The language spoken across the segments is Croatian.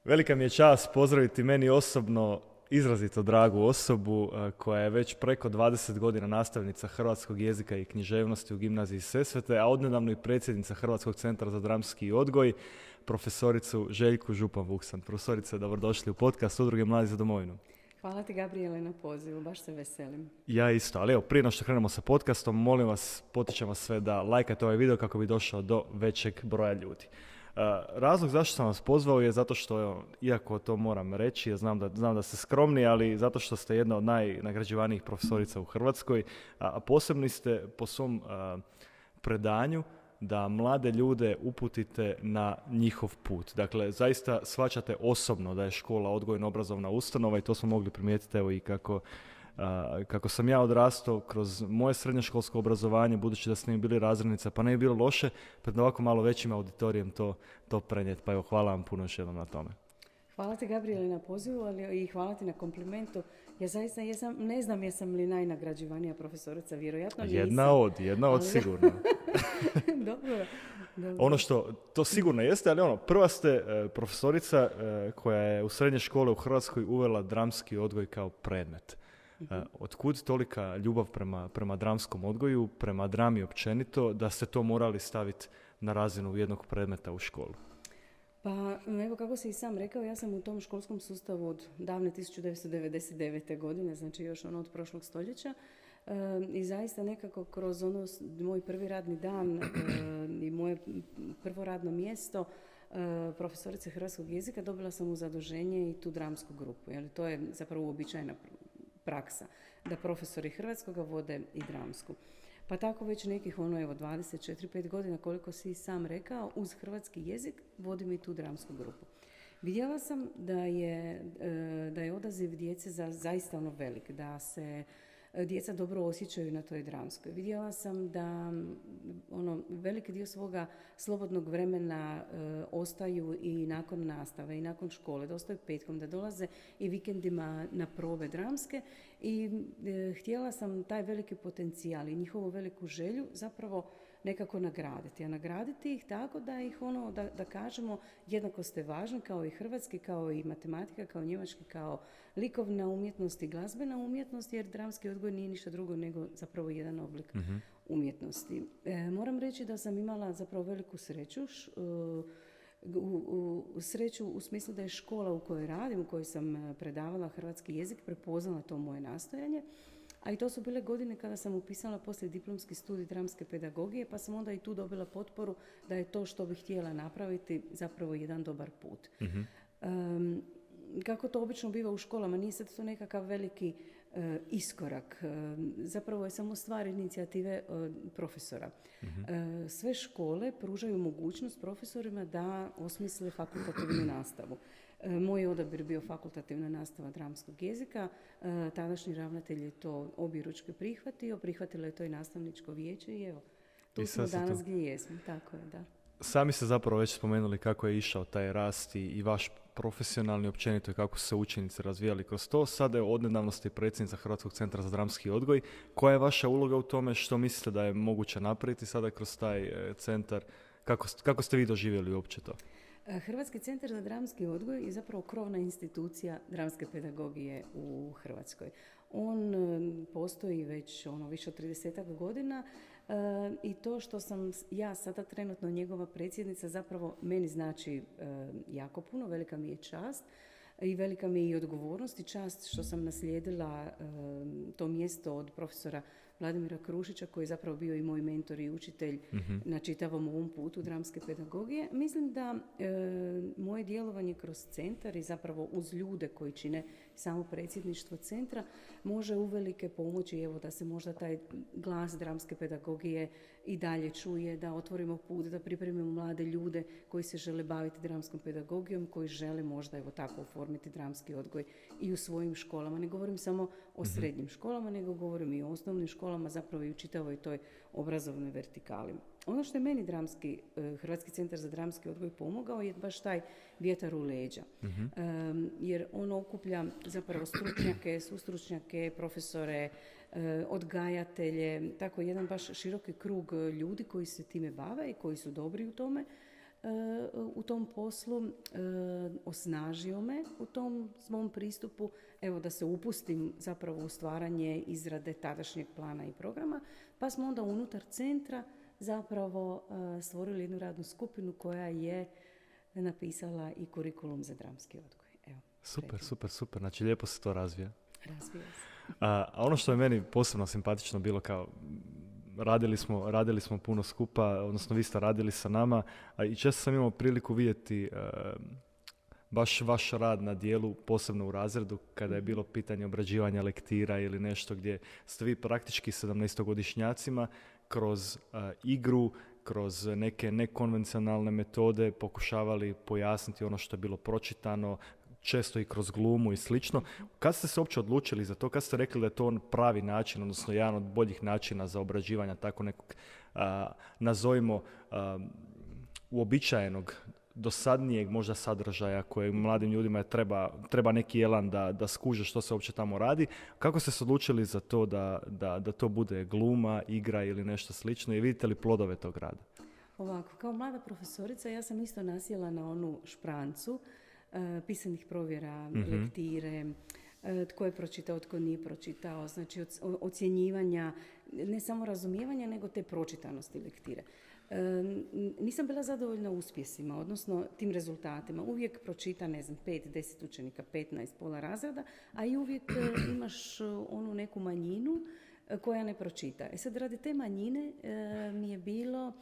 Velika mi je čast pozdraviti meni osobno izrazito dragu osobu koja je već preko 20 godina nastavnica hrvatskog jezika i književnosti u gimnaziji Sesvete, a odnedavno i predsjednica Hrvatskog centra za dramski odgoj, profesoricu Željku Župan-Vuksan. Profesorice, dobrodošli u podcast Udruge Mladi za domovinu. Hvala ti, Gabriele, na pozivu, baš se veselim. Ja isto, ali evo, prije no što krenemo sa podcastom, molim vas, potičem vas sve da lajkate ovaj video kako bi došao do većeg broja ljudi. Razlog zašto sam vas pozvao je zato što, evo, iako to moram reći, ja znam da ste skromni, ali zato što ste jedna od najnagrađivanijih profesorica u Hrvatskoj, a posebni ste po svom predanju da mlade ljude uputite na njihov put. Dakle, zaista shvaćate osobno da je škola odgojno-obrazovna ustanova i to smo mogli primijetiti, evo, i kako sam ja odrastao kroz moje srednjoškolsko obrazovanje, budući da ste mi bili razrednica, pa ne bi bilo loše pred ovako malo većim auditorijem to prenijeti. Pa evo, hvala vam puno još jednom na tome. Hvala ti, Gabriele, na pozivu, ali i hvala ti na komplimentu. Ja zaista ne znam jesam li najnagrađivanija profesorica, vjerojatno nisam. Jedna od sigurno. Dobro. Ono što to sigurno jeste, ali prva ste profesorica koja je u srednje škole u Hrvatskoj uvela dramski odgoj kao predmet. Otkud tolika ljubav prema dramskom odgoju, prema drami općenito, da ste to morali staviti na razinu jednog predmeta u školu? Pa evo, kako si i sam rekao, ja sam u tom školskom sustavu od davne 1999. godine, znači još od prošlog stoljeća, i zaista nekako kroz moj prvi radni dan i moje prvo radno mjesto profesorice hrvatskog jezika dobila sam u zaduženje i tu dramsku grupu. Jer to je zapravo uobičajena praksa da profesori hrvatskoga vode i dramsku. Pa tako već nekih 24-5 godina, koliko si sam rekao, uz hrvatski jezik vodim i tu dramsku grupu. Vidjela sam da je odaziv djece zaista velik, da se djeca dobro osjećaju na toj dramskoj. Vidjela sam da veliki dio svoga slobodnog vremena ostaju i nakon nastave i nakon škole, da ostaju petkom, da dolaze i vikendima na probe dramske i htjela sam taj veliki potencijal i njihovu veliku želju zapravo nekako nagraditi. A nagraditi ih tako da ih da kažemo jednako ste važni kao i hrvatski, kao i matematika, kao njemački, kao likovna umjetnost i glazbena umjetnost, jer dramski odgoj nije ništa drugo nego zapravo jedan oblik umjetnosti. Moram reći da sam imala zapravo veliku sreću, sreću u smislu da je škola u kojoj radim, u kojoj sam predavala hrvatski jezik, prepoznala to moje nastojanje. A i to su bile godine kada sam upisala poslije diplomski studij dramske pedagogije, pa sam onda i tu dobila potporu da je to što bih htjela napraviti zapravo jedan dobar put. Kako to obično biva u školama, nije sad to nekakav veliki iskorak. Zapravo je samo stvar inicijative profesora. Sve škole pružaju mogućnost profesorima da osmisle fakultativnu nastavu. Moj odabir bio fakultativna nastava dramskog jezika. Tadašnji ravnatelj je to objeručke prihvatio. Prihvatilo je to i nastavničko vijeće i evo, tu smo danas gdje jesmo. Tako je, da. Sami ste zapravo već spomenuli kako je išao taj rast i vaš profesionalni općenito i kako su se učenici razvijali kroz to. Sada je odnedavno ste predsjednica Hrvatskog centra za dramski odgoj. Koja je vaša uloga u tome? Što mislite da je moguće napraviti sada kroz taj centar? Kako ste vi doživjeli uopće to? Hrvatski centar za dramski odgoj je zapravo krovna institucija dramske pedagogije u Hrvatskoj. On postoji već više od 30 godina i to što sam ja sada trenutno njegova predsjednica zapravo meni znači jako puno, velika mi je čast. I velika mi je i odgovornost i čast što sam naslijedila to mjesto od profesora Vladimira Krušića, koji je zapravo bio i moj mentor i učitelj na čitavom ovom putu dramske pedagogije. Mislim da moje djelovanje kroz centar i zapravo uz ljude koji čine samo predsjedništvo centra može uvelike pomoći, evo, da se možda taj glas dramske pedagogije i dalje čuje, da otvorimo put, da pripremimo mlade ljude koji se žele baviti dramskom pedagogijom, koji žele možda evo tako oformiti dramski odgoj i u svojim školama. Ne govorim samo o srednjim školama, nego govorim i o osnovnim školama, zapravo i u čitavoj toj obrazovnoj vertikali. Ono što je meni Hrvatski centar za dramski odgoj pomogao je baš taj vjetar u leđa. Jer on okuplja zapravo stručnjake, sustručnjake, profesore, odgajatelje, tako jedan baš široki krug ljudi koji se time bave i koji su dobri u tome. u tom poslu, osnažio me u tom svom pristupu, evo da se upustim zapravo u stvaranje izrade tadašnjeg plana i programa, pa smo onda unutar centra zapravo stvorili jednu radnu skupinu koja je napisala i kurikulum za dramski odgoj. Evo, Super. Znači, lijepo se to razvija. Razvija se. A ono što je meni posebno simpatično bilo, kao radili smo puno skupa, odnosno vi ste radili sa nama, a i često sam imao priliku vidjeti baš vaš rad na dijelu, posebno u razredu, kada je bilo pitanje obrađivanja lektira ili nešto gdje ste vi praktički 17-godišnjacima kroz igru, kroz neke nekonvencionalne metode pokušavali pojasniti ono što je bilo pročitano, često i kroz glumu i slično. Kad ste se uopće odlučili za to, kad ste rekli da je to pravi način, odnosno jedan od boljih načina za obrađivanja tako nekog, nazovimo, uobičajenog, dosadnijeg možda sadržaja koje mladim ljudima treba neki elan da skuže što se uopće tamo radi. Kako ste se odlučili za to da to bude gluma, igra ili nešto slično i vidite li plodove tog rada? Ovako, kao mlada profesorica ja sam isto nasjela na onu šprancu pisanih provjera, lektire, tko je pročitao, tko nije pročitao, znači ocjenjivanja, ne samo razumijevanja, nego te pročitanosti lektire. Nisam bila zadovoljna uspjesima, odnosno tim rezultatima. Uvijek pročita, 5-10 učenika, 15, pola razreda, a i uvijek imaš onu neku manjinu koja ne pročita. Sad, radi te manjine mi je bilo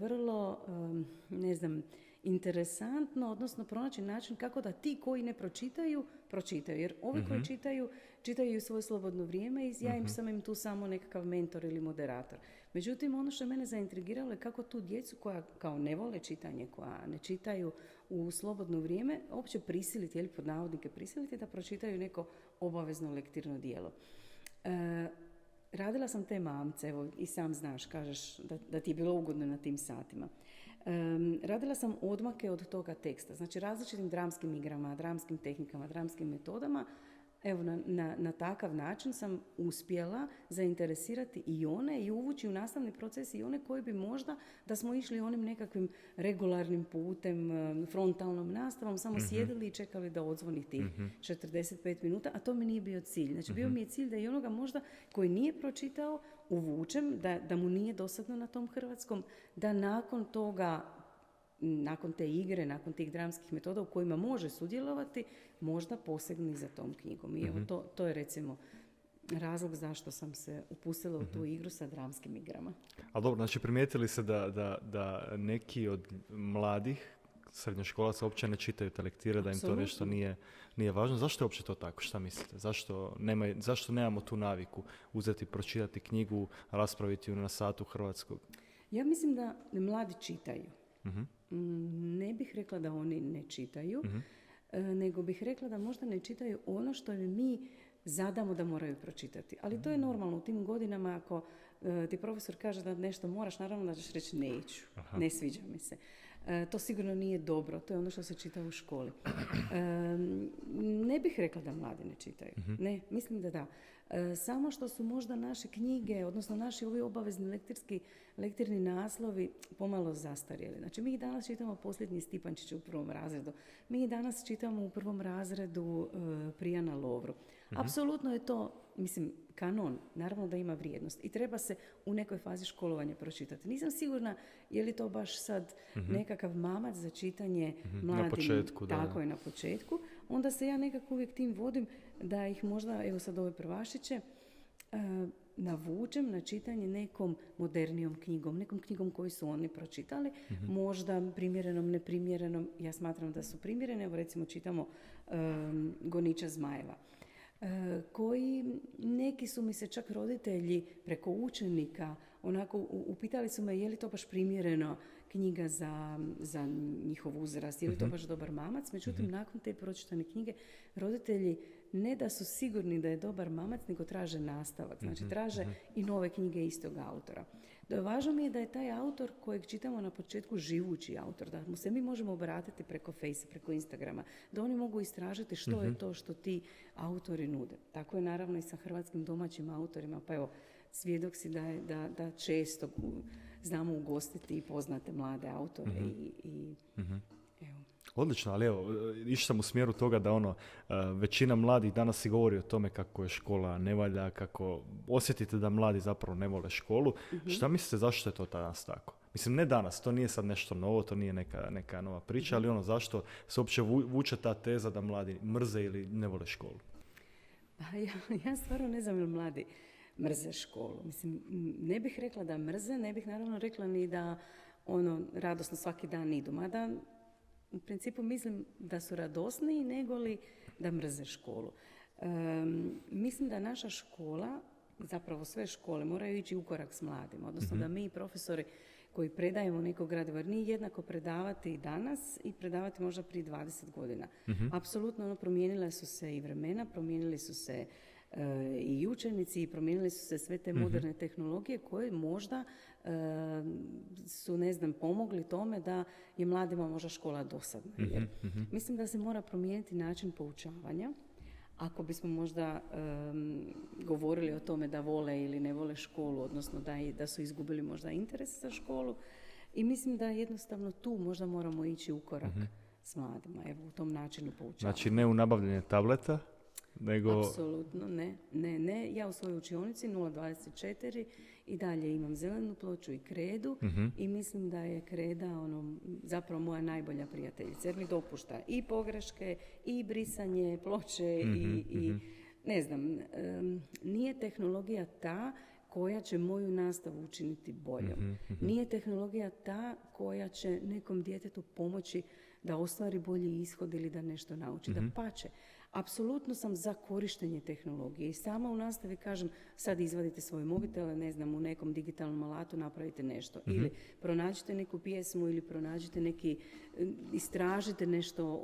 vrlo, interesantno, odnosno pronaći način kako da ti koji ne pročitaju. Jer ovi koji čitaju u svoje slobodno vrijeme i ja sam tu samo nekakav mentor ili moderator. Međutim, ono što je mene zaintrigiralo je kako tu djecu koja kao ne vole čitanje, koja ne čitaju u slobodno vrijeme, uopće prisiliti, ili pod navodnike prisiliti da pročitaju neko obavezno lektirno djelo. Radila sam te mamce, evo i sam znaš, kažeš da ti je bilo ugodno na tim satima. Radila sam odmake od toga teksta, znači različitim dramskim igrama, dramskim tehnikama, dramskim metodama. Evo, na takav način sam uspjela zainteresirati i one i uvući u nastavni proces i one koji bi možda, da smo išli onim nekakvim regularnim putem, frontalnom nastavom, samo sjedili i čekali da odzvoni tih 45 minuta, a to mi nije bio cilj. Znači, bio mi je cilj da i onoga možda koji nije pročitao uvučem, da mu nije dosadno na tom hrvatskom, da nakon toga, nakon te igre, nakon tih dramskih metoda u kojima može sudjelovati, možda posegni za tom knjigom. I evo, to je recimo razlog zašto sam se upustila u tu igru sa dramskim igrama. Ali dobro, znači primijetili se da neki od mladih srednjoškolaca uopće ne čitaju te lektire, da im to nešto nije važno. Zašto je uopće to tako? Šta mislite? Zašto nemamo tu naviku uzeti, pročitati knjigu, raspraviti ju na satu hrvatskog? Ja mislim da mladi čitaju. Ne bih rekla da oni ne čitaju, nego bih rekla da možda ne čitaju ono što mi zadamo da moraju pročitati. Ali to je normalno u tim godinama. Ako ti profesor kaže da nešto moraš, naravno da ćeš reći neću, ne sviđa mi se. To sigurno nije dobro, to je ono što se čita u školi. Ne bih rekla da mladi ne čitaju. Ne, mislim da da. Samo što su možda naše knjige, odnosno naši ovi obavezni lektirni naslovi pomalo zastarjeli. Znači, mi danas čitamo Posljednji Stipančić u prvom razredu. Mi danas čitamo u prvom razredu Prijana Lovru. Apsolutno je to, kanon, naravno da ima vrijednost i treba se u nekoj fazi školovanja pročitati. Nisam sigurna je li to baš sad nekakav mamac za čitanje mladim. Na početku, da. Tako je, na početku. Onda se ja nekako uvijek tim vodim da ih možda, evo sad ove prvašiće, navučem na čitanje nekom modernijom knjigom, nekom knjigom koju su oni pročitali, možda primjerenom, neprimjerenom. Ja smatram da su primjerene. Evo recimo čitamo Goniča zmajeva, koji neki su mi se čak roditelji preko učenika onako upitali su me je li to baš primjereno knjiga za njihov uzrast, je li to baš dobar mamac. Međutim, nakon te pročitane knjige roditelji ne da su sigurni da je dobar mamac, nego traže nastavak. Znači, traže i nove knjige istog autora. Važno mi je da je taj autor kojeg čitamo na početku živući autor, da mu se mi možemo obratiti preko Face, preko Instagrama, da oni mogu istražiti što je to što ti autori nude. Tako je naravno i sa hrvatskim domaćim autorima. Pa evo, svjedok si da često znamo ugostiti i poznate mlade autore i evo. Odlično, ali evo, išao sam u smjeru toga da većina mladih danas si govori o tome kako je škola ne valja, kako osjetite da mladi zapravo ne vole školu. Šta mislite zašto je to danas tako? Mislim, ne danas, to nije sad nešto novo, to nije neka nova priča, ali zašto se uopće vuče ta teza da mladi mrze ili ne vole školu? Ja stvarno ne znam ili mladi mrze školu. Mislim, ne bih rekla da mrze, ne bih naravno rekla ni da radosno svaki dan idu. Mada u principu mislim da su radosniji nego li da mrze školu. Mislim da naša škola, zapravo sve škole, moraju ići u korak s mladima. Odnosno da mi profesori koji predajemo neko gradivo, jer nije jednako predavati i danas i predavati možda prije 20 godina. Apsolutno promijenile su se i vremena, promijenili su se i učenici i promijenili su se sve te moderne tehnologije koje možda su, pomogli tome da je mladima možda škola dosadna. Jer mislim da se mora promijeniti način poučavanja. Ako bismo možda govorili o tome da vole ili ne vole školu, odnosno da su izgubili možda interes za školu, i mislim da jednostavno tu možda moramo ići u korak s mladima, evo u tom načinu poučavanja. Znači ne u nabavljanje tableta, nego... Apsolutno ne. Ja u svojoj učionici 024 i dalje imam zelenu ploču i kredu i mislim da je kreda zapravo moja najbolja prijateljica jer mi dopušta i pogreške i brisanje ploče i nije tehnologija ta koja će moju nastavu učiniti boljom. Nije tehnologija ta koja će nekom djetetu pomoći da ostvari bolji ishod ili da nešto nauči. Da pače. Apsolutno sam za korištenje tehnologije i sama u nastavi kažem sad izvadite svoje mobitele, u nekom digitalnom alatu napravite nešto. Ili pronađite neku pjesmu ili pronađite istražite nešto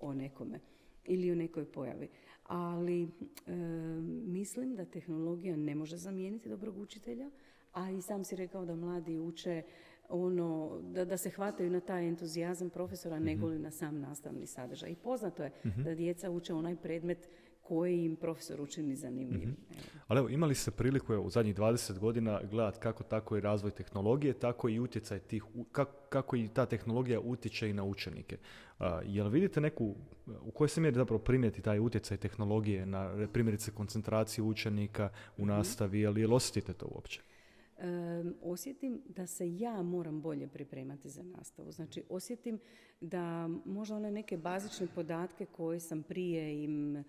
o nekome ili o nekoj pojavi. Ali mislim da tehnologija ne može zamijeniti dobrog učitelja, a i sam si rekao da mladi uče da se hvataju na taj entuzijazam profesora nego li na sam nastavni sadržaj. I poznato je da djeca uče onaj predmet koji im profesor učini zanimljivim. Ali evo, imali ste priliku u zadnjih 20 godina gledati kako tako i razvoj tehnologije, tako i utjecaj kako i ta tehnologija utječe i na učenike. Jel vidite u kojoj se mjeri zapravo primijeti taj utjecaj tehnologije na primjerice koncentraciju učenika u nastavi, jel osjetite to uopće? Osjetim da se ja moram bolje pripremati za nastavu. Znači, osjetim da možda one neke bazične podatke koje sam prije im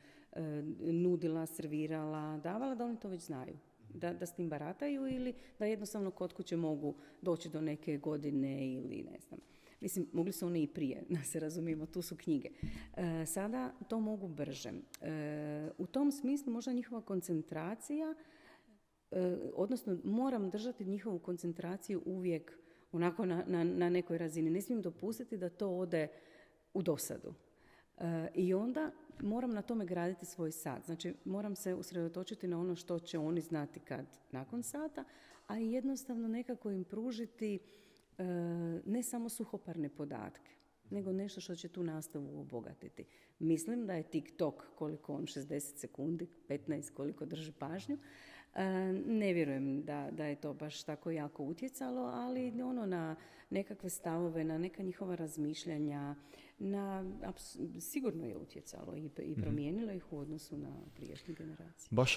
nudila, servirala, davala, da oni to već znaju. Da s tim barataju ili da jednostavno kod kuće mogu doći do neke godine ili ne znam. Mislim, mogli su oni i prije, da se razumijemo, tu su knjige. Sada to mogu brže. U tom smislu možda njihova koncentracija, odnosno moram držati njihovu koncentraciju uvijek onako na nekoj razini. Ne smijem dopustiti da to ode u dosadu. I onda moram na tome graditi svoj sat. Znači, moram se usredotočiti na ono što će oni znati kad nakon sata, a i jednostavno nekako im pružiti ne samo suhoparne podatke, nego nešto što će tu nastavu obogatiti. Mislim da je TikTok, koliko on 60 sekundi, 15 koliko drži pažnju, ne vjerujem da je to baš tako jako utjecalo, ali na nekakve stavove, na neka njihova razmišljanja, sigurno je utjecalo i promijenilo ih u odnosu na prijašnje generacije. Baš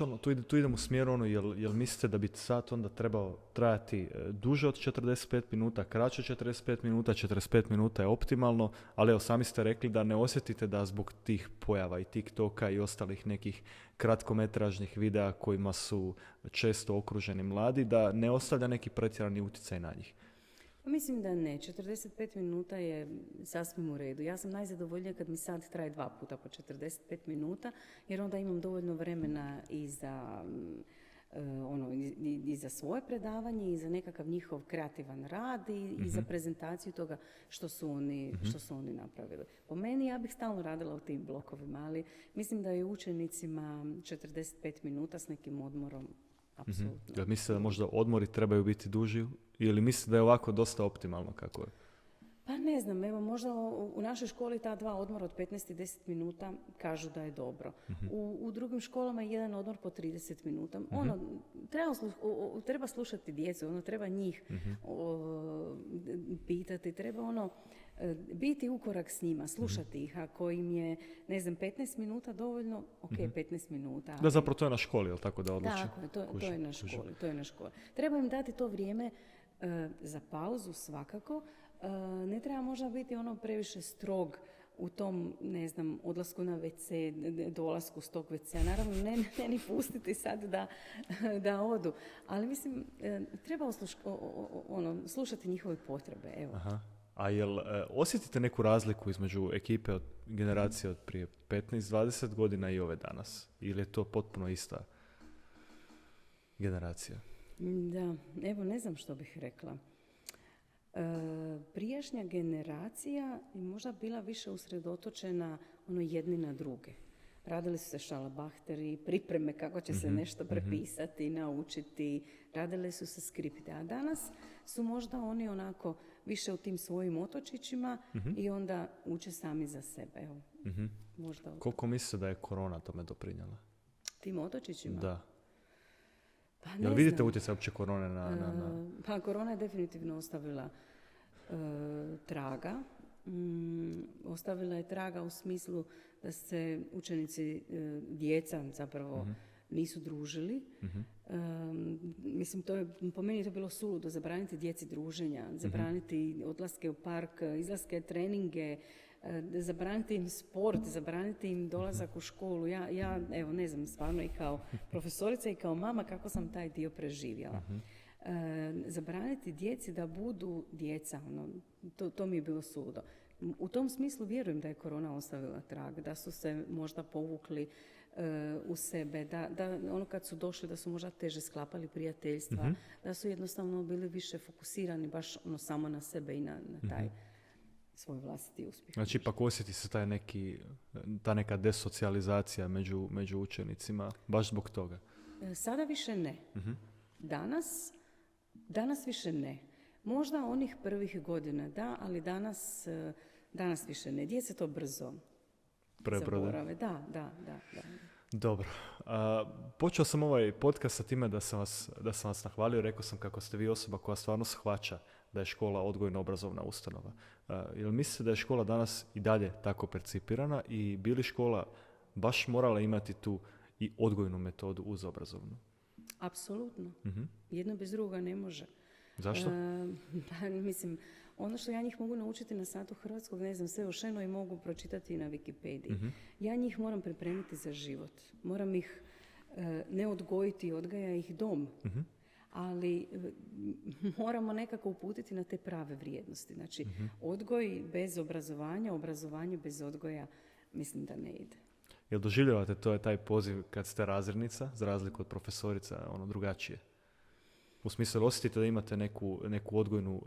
tu idemo u smjeru jel mislite da bi sat onda trebao trajati duže od 45 minuta, kraće od 45 minuta, 45 minuta je optimalno, ali evo sami ste rekli da ne osjetite da zbog tih pojava i TikToka i ostalih nekih kratkometražnih videa kojima su često okruženi mladi, da ne ostavlja neki pretjerani utjecaj na njih. Mislim da ne. 45 minuta je sasvim u redu. Ja sam najzadovoljnija kad mi sat traje 2 puta po 45 minuta, jer onda imam dovoljno vremena i za svoje predavanje i za nekakav njihov kreativan rad i za prezentaciju toga što su oni napravili. Po meni ja bih stalno radila u tim blokovima, ali mislim da je učenicima 45 minuta s nekim odmorom apsolutno. Jel mislite da možda odmori trebaju biti duži ili mislite da je ovako dosta optimalno kako je? Pa ne znam, evo možda u našoj školi ta 2 odmora od 15 i 10 minuta kažu da je dobro. U drugim školama je jedan odmor po 30 minuta. Ono, treba slušati djecu, ono, treba njih pitati, treba ono, biti ukorak s njima, slušati ih. Ako im je, ne znam, 15 minuta dovoljno, ok, 15 minuta. Ali... Da, zapravo to je na školi, jel tako da odluči? Tako, to je na školi, Treba im dati to vrijeme za pauzu svakako. Ne treba možda biti ono previše strog u tom, ne znam, odlasku na WC, dolasku s tog WC-a. Naravno, ne ni pustiti sad da odu. Ali mislim, treba slušati njihove potrebe. Evo. Aha. A jel osjetite neku razliku između ekipe od generacije od prije 15-20 godina i ove danas? Ili je to potpuno ista generacija? Da, evo ne znam što bih rekla. Prijašnja generacija je možda bila više usredotočena jedni na druge. Radili su se šalabahteri, pripreme kako će se nešto prepisati, naučiti, radili su se skripte. A danas su možda oni onako više u tim svojim otočićima i onda uče sami za sebe. Evo, možda. Koliko mislite da je korona tome doprinjela? Tim otočićima? Da. Pa jel vidite utjecaj uopće korone na... Pa korona je definitivno ostavila traga. Ostavila je traga u smislu da se učenici, djeca zapravo nisu družili. Mislim, po meni je to bilo suludo, zabraniti djeci druženja, zabraniti odlaske u park, izlaske, treninge, zabraniti im sport, zabraniti im dolazak u školu. Ja evo, ne znam, stvarno i kao profesorica i kao mama kako sam taj dio preživjela. Zabraniti djeci da budu djeca, to mi je bilo suludo. U tom smislu vjerujem da je korona ostavila trag, da su se možda povukli u sebe, da ono kad su došli da su možda teže sklapali prijateljstva, da su jednostavno bili više fokusirani baš samo na sebe i na taj svoj vlastiti uspjeh. Znači ipak osjeti se ta neka desocijalizacija među učenicima, baš zbog toga? Sada više ne. Danas više ne. Možda onih prvih godina da, ali danas više ne. Djeca to brzo zaborave. Da. Dobro. Počeo sam ovaj podcast sa time da sam vas nahvalio. Rekao sam kako ste vi osoba koja stvarno shvaća da je škola odgojno-obrazovna ustanova. Jel mislite da je škola danas i dalje tako percipirana i bi li škola baš morala imati tu i odgojnu metodu uz obrazovnu? Apsolutno. Jedno bez drugoga ne može. Zašto? Mislim, ono što ja njih mogu naučiti na satu hrvatskog, ne znam, sve o Šenoj mogu pročitati na Wikipediji. Ja njih moram pripremiti za život. Moram ih ne odgojiti, odgaja ih dom. Ali moramo nekako uputiti na te prave vrijednosti. Znači, odgoj bez obrazovanja, obrazovanje bez odgoja, mislim da ne ide. Jel doživljavate to je taj poziv kad ste razrednica, za razliku od profesorica, drugačije? U smislu, osjetite da imate neku odgojnu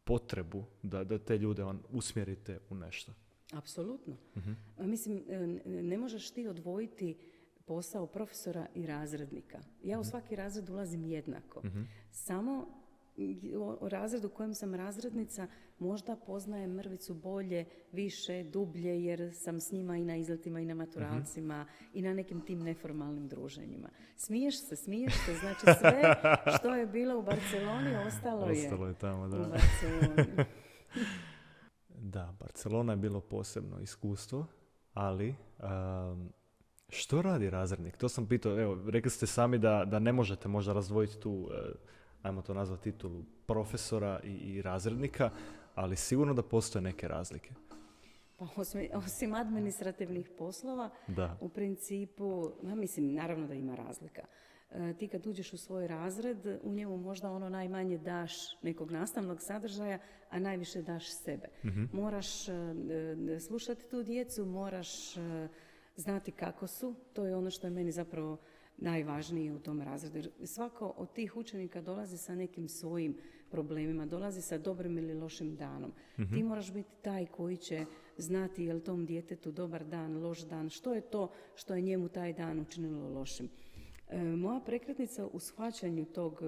potrebu da te ljude usmjerite u nešto? Apsolutno. Mislim, ne možeš ti odvojiti posao profesora i razrednika. Ja u svaki razred ulazim jednako. Samo u razredu u kojem sam razrednica možda poznajem mrvicu bolje, više, dublje, jer sam s njima i na izletima i na maturalcima i na nekim tim neformalnim druženjima. Smiješ se, znači sve što je bilo u Barceloni ostalo je tamo, da. U Barceloni. Da, Barcelona je bilo posebno iskustvo, ali što radi razrednik? To sam pitao, evo, rekli ste sami da ne možete možda razdvojiti tu, ajmo to nazvati titulu, profesora i razrednika, ali sigurno da postoje neke razlike. Pa osim administrativnih poslova, u principu, mislim, naravno da ima razlika. Ti kad uđeš u svoj razred, u njemu možda najmanje daš nekog nastavnog sadržaja, a najviše daš sebe. Moraš slušati tu djecu, moraš znati kako su, to je ono što je meni zapravo najvažnije u tom razredu. Svako od tih učenika dolazi sa nekim svojim problemima, dolazi sa dobrim ili lošim danom. Ti moraš biti taj koji će znati je li tom djetetu dobar dan, loš dan, što je to što je njemu taj dan učinilo lošim. Moja prekretnica u shvaćanju tog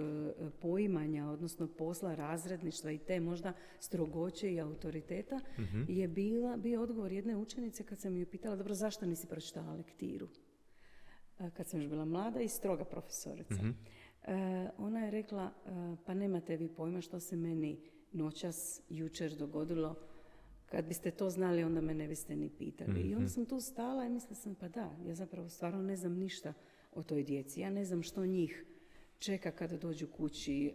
poimanja, odnosno posla razredništva i te možda strogoće i autoriteta je bio odgovor jedne učenice kad sam ju pitala, dobro, zašto nisi pročitala lektiru? Kad sam još bila mlada i stroga profesorica. Ona je rekla, pa nemate vi pojma što se meni noćas, jučer dogodilo. Kad biste to znali, onda me ne biste ni pitali. I onda sam tu stala i mislila sam, pa da, ja zapravo stvarno ne znam ništa o toj djeci. Ja ne znam što njih čeka kada dođu kući,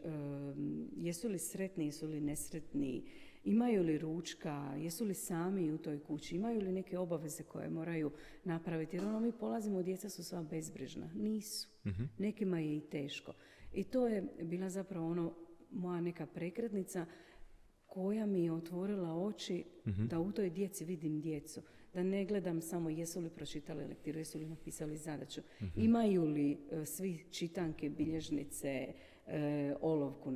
jesu li sretni, jesu li nesretni, imaju li ručka, jesu li sami u toj kući, imaju li neke obaveze koje moraju napraviti. Jer mi polazimo, djeca su sva bezbrižna. Nisu. Nekima je i teško. I to je bila zapravo moja neka prekretnica koja mi je otvorila oči da u toj djeci vidim djecu. Da ne gledam samo jesu li pročitali lektiru, jesu li napisali zadaću. Imaju li svi čitanke, bilježnice, olovku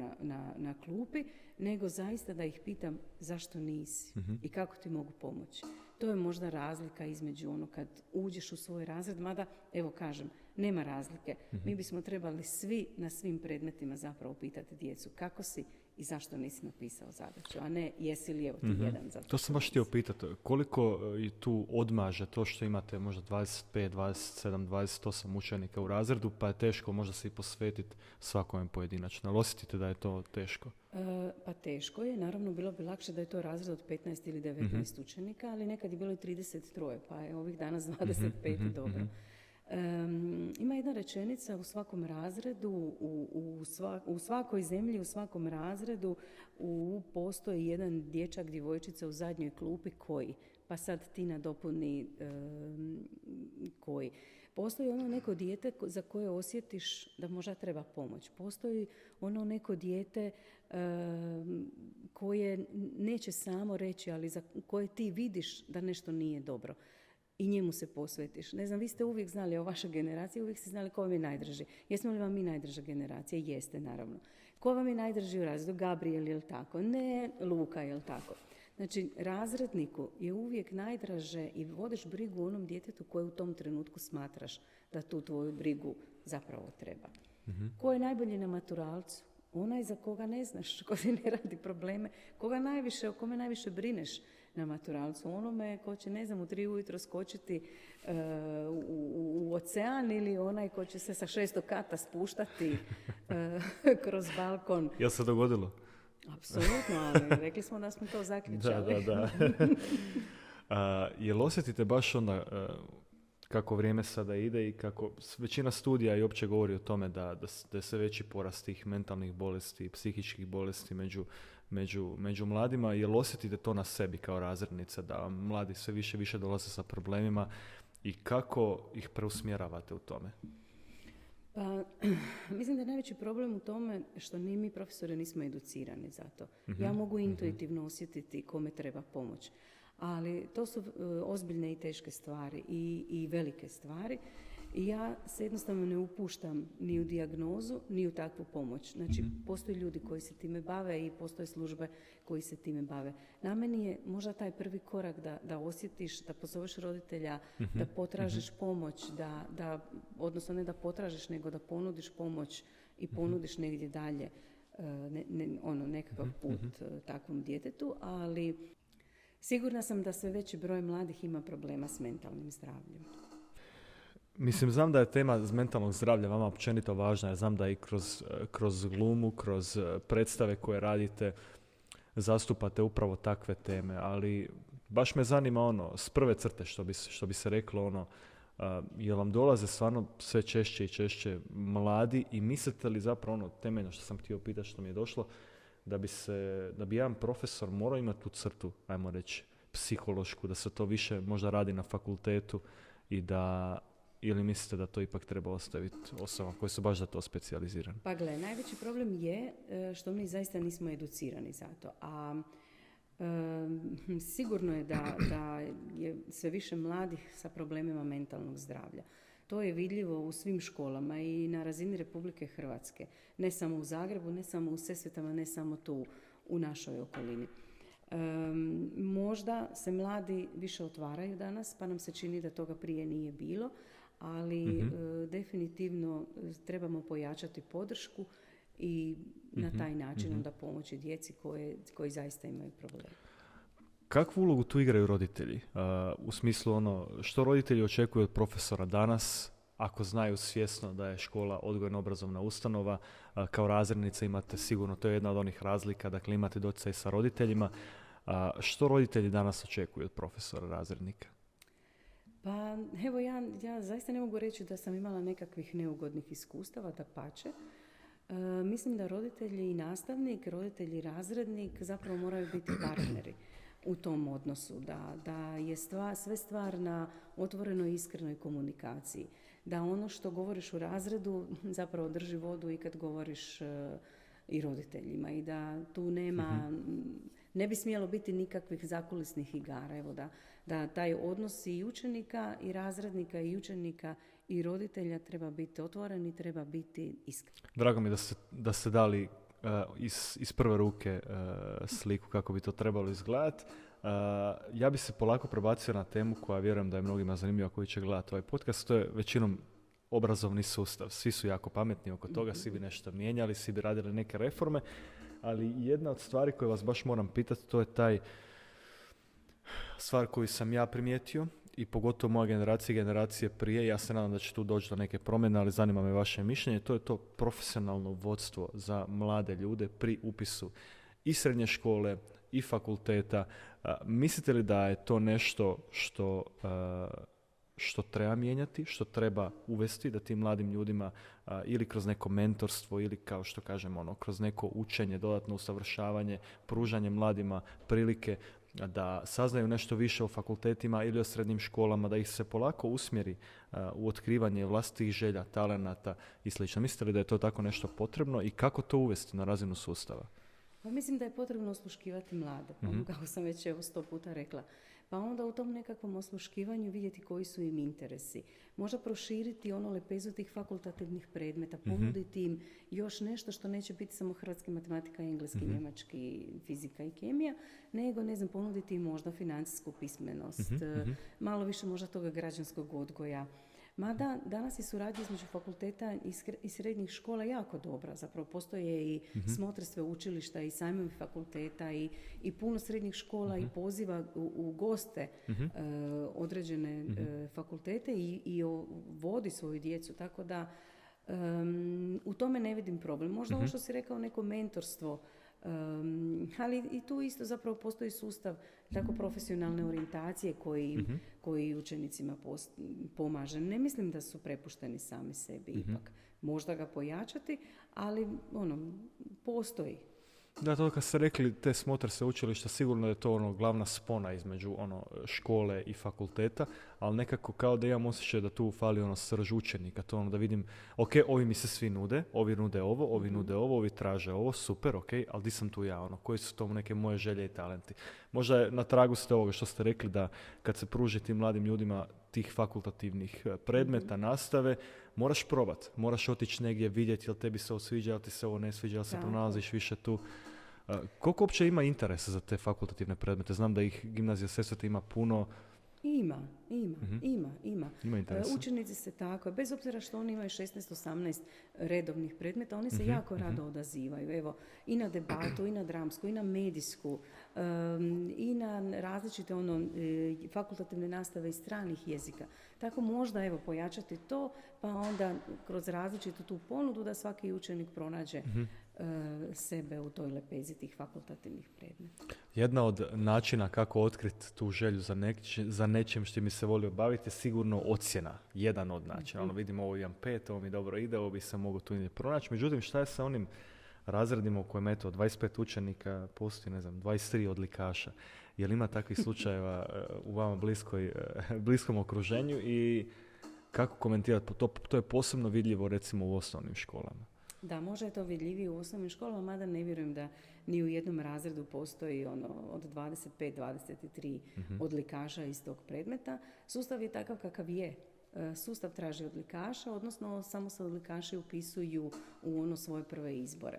na klupi, nego zaista da ih pitam zašto nisi i kako ti mogu pomoći. To je možda razlika između kad uđeš u svoj razred, mada, evo kažem, nema razlike. Mi bismo trebali svi na svim predmetima zapravo pitati djecu kako si i zašto nisi napisao zadaću, a ne jesi li evo ti jedan za to. To sam baš htio pitati, koliko i tu odmaže to što imate možda 25, 27, 28 učenika u razredu, pa je teško možda se i posvetiti svakome pojedinačno. Ali osjetite da je to teško? Pa teško je, naravno bilo bi lakše da je to razred od 15 ili 19 učenika, ali nekad je bilo i 33, pa je ovih danas 25 dobro. Ima jedna rečenica u svakom razredu, u svakoj zemlji, u svakom razredu postoji jedan dječak, djevojčica u zadnjoj klupi koji, pa sad ti nadopuni koji. Postoji ono neko dijete za koje osjetiš da možda treba pomoć. Postoji ono neko dijete koje neće samo reći, ali za koje ti vidiš da nešto nije dobro. I njemu se posvetiš. Ne znam, vi ste uvijek znali o vašoj generaciji, uvijek ste znali ko vam je najdrži. Jesmo li vam mi najdrža generacija? Jeste, naravno. Ko vam je najdrži u razredu? Gabriel, jel tako? Ne, Luka, jel tako? Znači, razredniku je uvijek najdraže i vodiš brigu o onom djetetu koje u tom trenutku smatraš da tu tvoju brigu zapravo treba. Ko je najbolji na maturalcu? Onaj za koga ne znaš, ko ti ne radi probleme, o kome najviše brineš na maturalcu. Onome ko će, ne znam, u 3 ujutro skočiti u ocean ili onaj ko će se sa 6. kata spuštati kroz balkon. Jel se dogodilo? Apsolutno, ali rekli smo da smo to zaključali. Da. Jel osjetite baš onda kako vrijeme sada ide i kako većina studija i opće govori o tome da je sve veći porast tih mentalnih bolesti i psihičkih bolesti među mladima. Jel osjetite to na sebi kao razrednica, da mladi sve više dolaze sa problemima i kako ih preusmjeravate u tome? Pa, mislim da je najveći problem u tome što ni mi profesori nismo educirani za to. Ja mogu intuitivno osjetiti kome treba pomoć. Ali to su ozbiljne i teške stvari i velike stvari. I ja se jednostavno ne upuštam ni u dijagnozu, ni u takvu pomoć. Znači, postoje ljudi koji se time bave i postoje službe koji se time bave. Na meni je možda taj prvi korak da osjetiš, da pozoveš roditelja, da potražiš pomoć, odnosno ne da potražiš, nego da ponudiš pomoć i ponudiš negdje dalje nekakav put takvom djetetu, ali sigurna sam da sve veći broj mladih ima problema s mentalnim zdravljem. Mislim, znam da je tema mentalnog zdravlja vama općenito važna, jer znam da i kroz glumu, kroz predstave koje radite, zastupate upravo takve teme, ali baš me zanima s prve crte, što bi se reklo, jel vam dolaze stvarno sve češće i češće mladi i mislite li zapravo temeljno što sam htio pitati, što mi je došlo, da bi jedan profesor morao imati tu crtu, ajmo reći, psihološku, da se to više možda radi na fakultetu ili mislite da to ipak treba ostaviti osobama koji su baš za to specijalizirani? Pa gle, najveći problem je što mi zaista nismo educirani za to. A sigurno je da je sve više mladih sa problemima mentalnog zdravlja. To je vidljivo u svim školama i na razini Republike Hrvatske. Ne samo u Zagrebu, ne samo u Sesvetama, ne samo tu u našoj okolini. Možda se mladi više otvaraju danas, pa nam se čini da toga prije nije bilo, ali definitivno trebamo pojačati podršku i na taj način onda pomoći djeci koji zaista imaju probleme. Kakvu ulogu tu igraju roditelji? U smislu što roditelji očekuju od profesora danas, ako znaju svjesno da je škola odgojno-obrazovna ustanova, kao razrednica imate sigurno, to je jedna od onih razlika, dakle imate doticaj sa roditeljima. Što roditelji danas očekuju od profesora razrednika? Pa evo ja zaista ne mogu reći da sam imala nekakvih neugodnih iskustava, dapače. Mislim da roditelji i nastavnik, roditelji i razrednik zapravo moraju biti partneri u tom odnosu, da je sve stvar na otvorenoj i iskrenoj komunikaciji. Da ono što govoriš u razredu zapravo drži vodu i kad govoriš i roditeljima i da tu ne bi smjelo biti nikakvih zakulisnih igara. Evo da taj odnos i učenika i razrednika i učenika i roditelja treba biti otvoren i treba biti iskren. Drago mi je da ste dali iz prve ruke sliku kako bi to trebalo izgledati. Ja bi se polako prebacio na temu koja vjerujem da je mnogima zanimljiva koji će gledati ovaj podcast. To je većinom obrazovni sustav. Svi su jako pametni oko toga, svi bi nešto mijenjali, svi bi radili neke reforme, ali jedna od stvari koje vas baš moram pitati, to je taj stvar koju sam ja primijetio i pogotovo moja generacija i generacije prije. Ja se nadam da će tu doći do neke promjene, ali zanima me vaše mišljenje. To je to profesionalno vodstvo za mlade ljude pri upisu i srednje škole i fakulteta. Mislite li da je to nešto što treba mijenjati, što treba uvesti, da tim mladim ljudima ili kroz neko mentorstvo ili kao što kažem kroz neko učenje, dodatno usavršavanje, pružanje mladima prilike da saznaju nešto više o fakultetima ili o srednjim školama, da ih se polako usmjeri u otkrivanje vlastitih želja, talenata i sl. Mislite li da je to tako nešto potrebno i kako to uvesti na razinu sustava? Pa mislim da je potrebno osluškivati mlade, kako sam već 100 puta rekla. Pa onda u tom nekakvom osluškivanju vidjeti koji su im interesi. Možda proširiti lepezu tih fakultativnih predmeta, ponuditi im još nešto što neće biti samo hrvatski, matematika, engleski, njemački, fizika i kemija, nego, ponuditi im možda financijsku pismenost, malo više možda toga građanskog odgoja. Mada danas je suradnja između fakulteta i srednjih škola jako dobra. Zapravo postoje i smotre sveučilišta i sajmovi fakulteta i puno srednjih škola i poziva u goste određene fakultete i vodi svoju djecu. Tako da u tome ne vidim problem. Možda ovo što si rekao, neko mentorstvo, ali i tu isto zapravo postoji sustav tako profesionalne orijentacije koji učenicima pomaže. Ne mislim da su prepušteni sami sebi ipak. Možda ga pojačati, ali postoji. Da, to kad ste rekli te smotre sveučilišta, sigurno je to glavna spona između škole i fakulteta, ali nekako kao da imam osjećaj da tu fali srž učenika, to da vidim, ok, ovi mi se svi nude, ovi nude ovo, ovi nude ovo, ovi traže ovo, super, ok, ali di sam tu ja, koji su to neke moje želje i talenti. Možda je na tragu ste ovoga što ste rekli da kad se pruži tim mladim ljudima tih fakultativnih predmeta, nastave, moraš probat, moraš otići negdje vidjeti jel tebi se ovo sviđa, jel ti se ovo ne sviđa, jel se pronalaziš više tu. Koliko uopće ima interesa za te fakultativne predmete? Znam da ih Gimnazija Sesvete ima puno. Ima. Ima interesa. Učenici se tako, bez obzira što oni imaju 16-18 redovnih predmeta, oni se jako rado odazivaju. Evo, i na debatu, i na dramsku, i na medijsku, i na različite fakultativne nastave iz stranih jezika. Tako možda pojačati to, pa onda kroz različitu tu ponudu da svaki učenik pronađe sebe u toj lepezi tih fakultativnih predmeta. Jedna od načina kako otkriti tu želju za nečim što mi se volio baviti je sigurno ocjena. Jedan od načina. Vidim ovo imam 5, ovo mi dobro ide, ovo bi se mogu tu i pronaći. Međutim, šta je sa onim razredima u kojem 25 učenika postoji, 23 odlikaša? Je li ima takvih slučajeva u vama bliskom okruženju i kako komentirati? To je posebno vidljivo recimo u osnovnim školama. Da, možda je to vidljivije u osnovnim školama, mada ne vjerujem da ni u jednom razredu postoji od 25-23 odlikaša iz tog predmeta. Sustav je takav kakav je. Sustav traži odlikaša, odnosno samo se odlikaši upisuju u svoje prve izbore.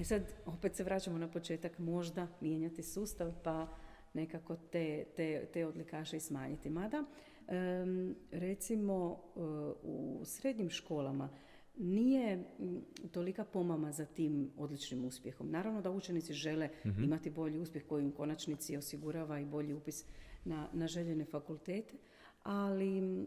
Sad, opet se vraćamo na početak, možda mijenjati sustav pa nekako te odlikaše i smanjiti. Mada, Recimo u srednjim školama nije tolika pomama za tim odličnim uspjehom. Naravno da učenici žele imati bolji uspjeh koji u konačnici osigurava i bolji upis na željene fakultete, ali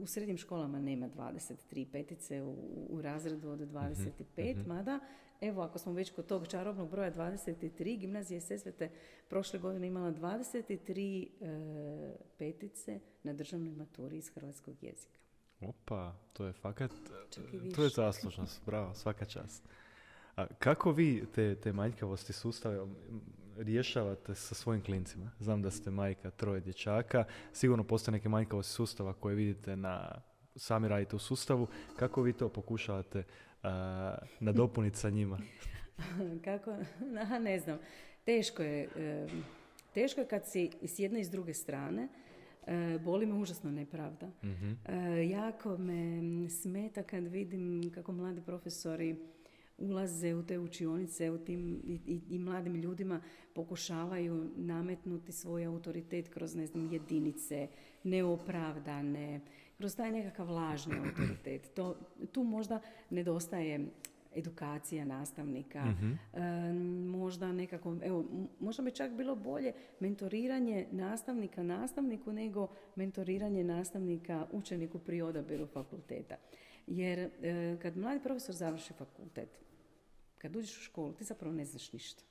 u srednjim školama nema 23 petice u razredu od 25, mada evo, ako smo već kod tog čarobnog broja 23, gimnazija Sesvete prošle godine imala 23 petice na državnoj maturi iz hrvatskog jezika. Opa, to je fakat, to je zaslužnost, bravo, svaka čast. A kako vi te manjkavosti sustave rješavate sa svojim klincima? Znam da ste majka 3 dječaka, sigurno postoje neke manjkavosti sustava koje vidite sami radite u sustavu. Kako vi to pokušavate nadopuniti sa njima? Kako? Ne znam. Teško je kad si s jedne i s druge strane. Boli me užasno nepravda. Jako me smeta kad vidim kako mladi profesori ulaze u te učionice i mladim ljudima pokušavaju nametnuti svoj autoritet kroz, ne znam, jedinice, neopravdane, kroz taj nekakav lažni autoritet. Tu možda nedostaje edukacija nastavnika, možda nekako, evo, možda bi čak bilo bolje mentoriranje nastavnika nastavniku nego mentoriranje nastavnika učeniku pri odabiru fakulteta. Jer kad mladi profesor završi fakultet, kad uđeš u školu, ti zapravo ne znaš ništa.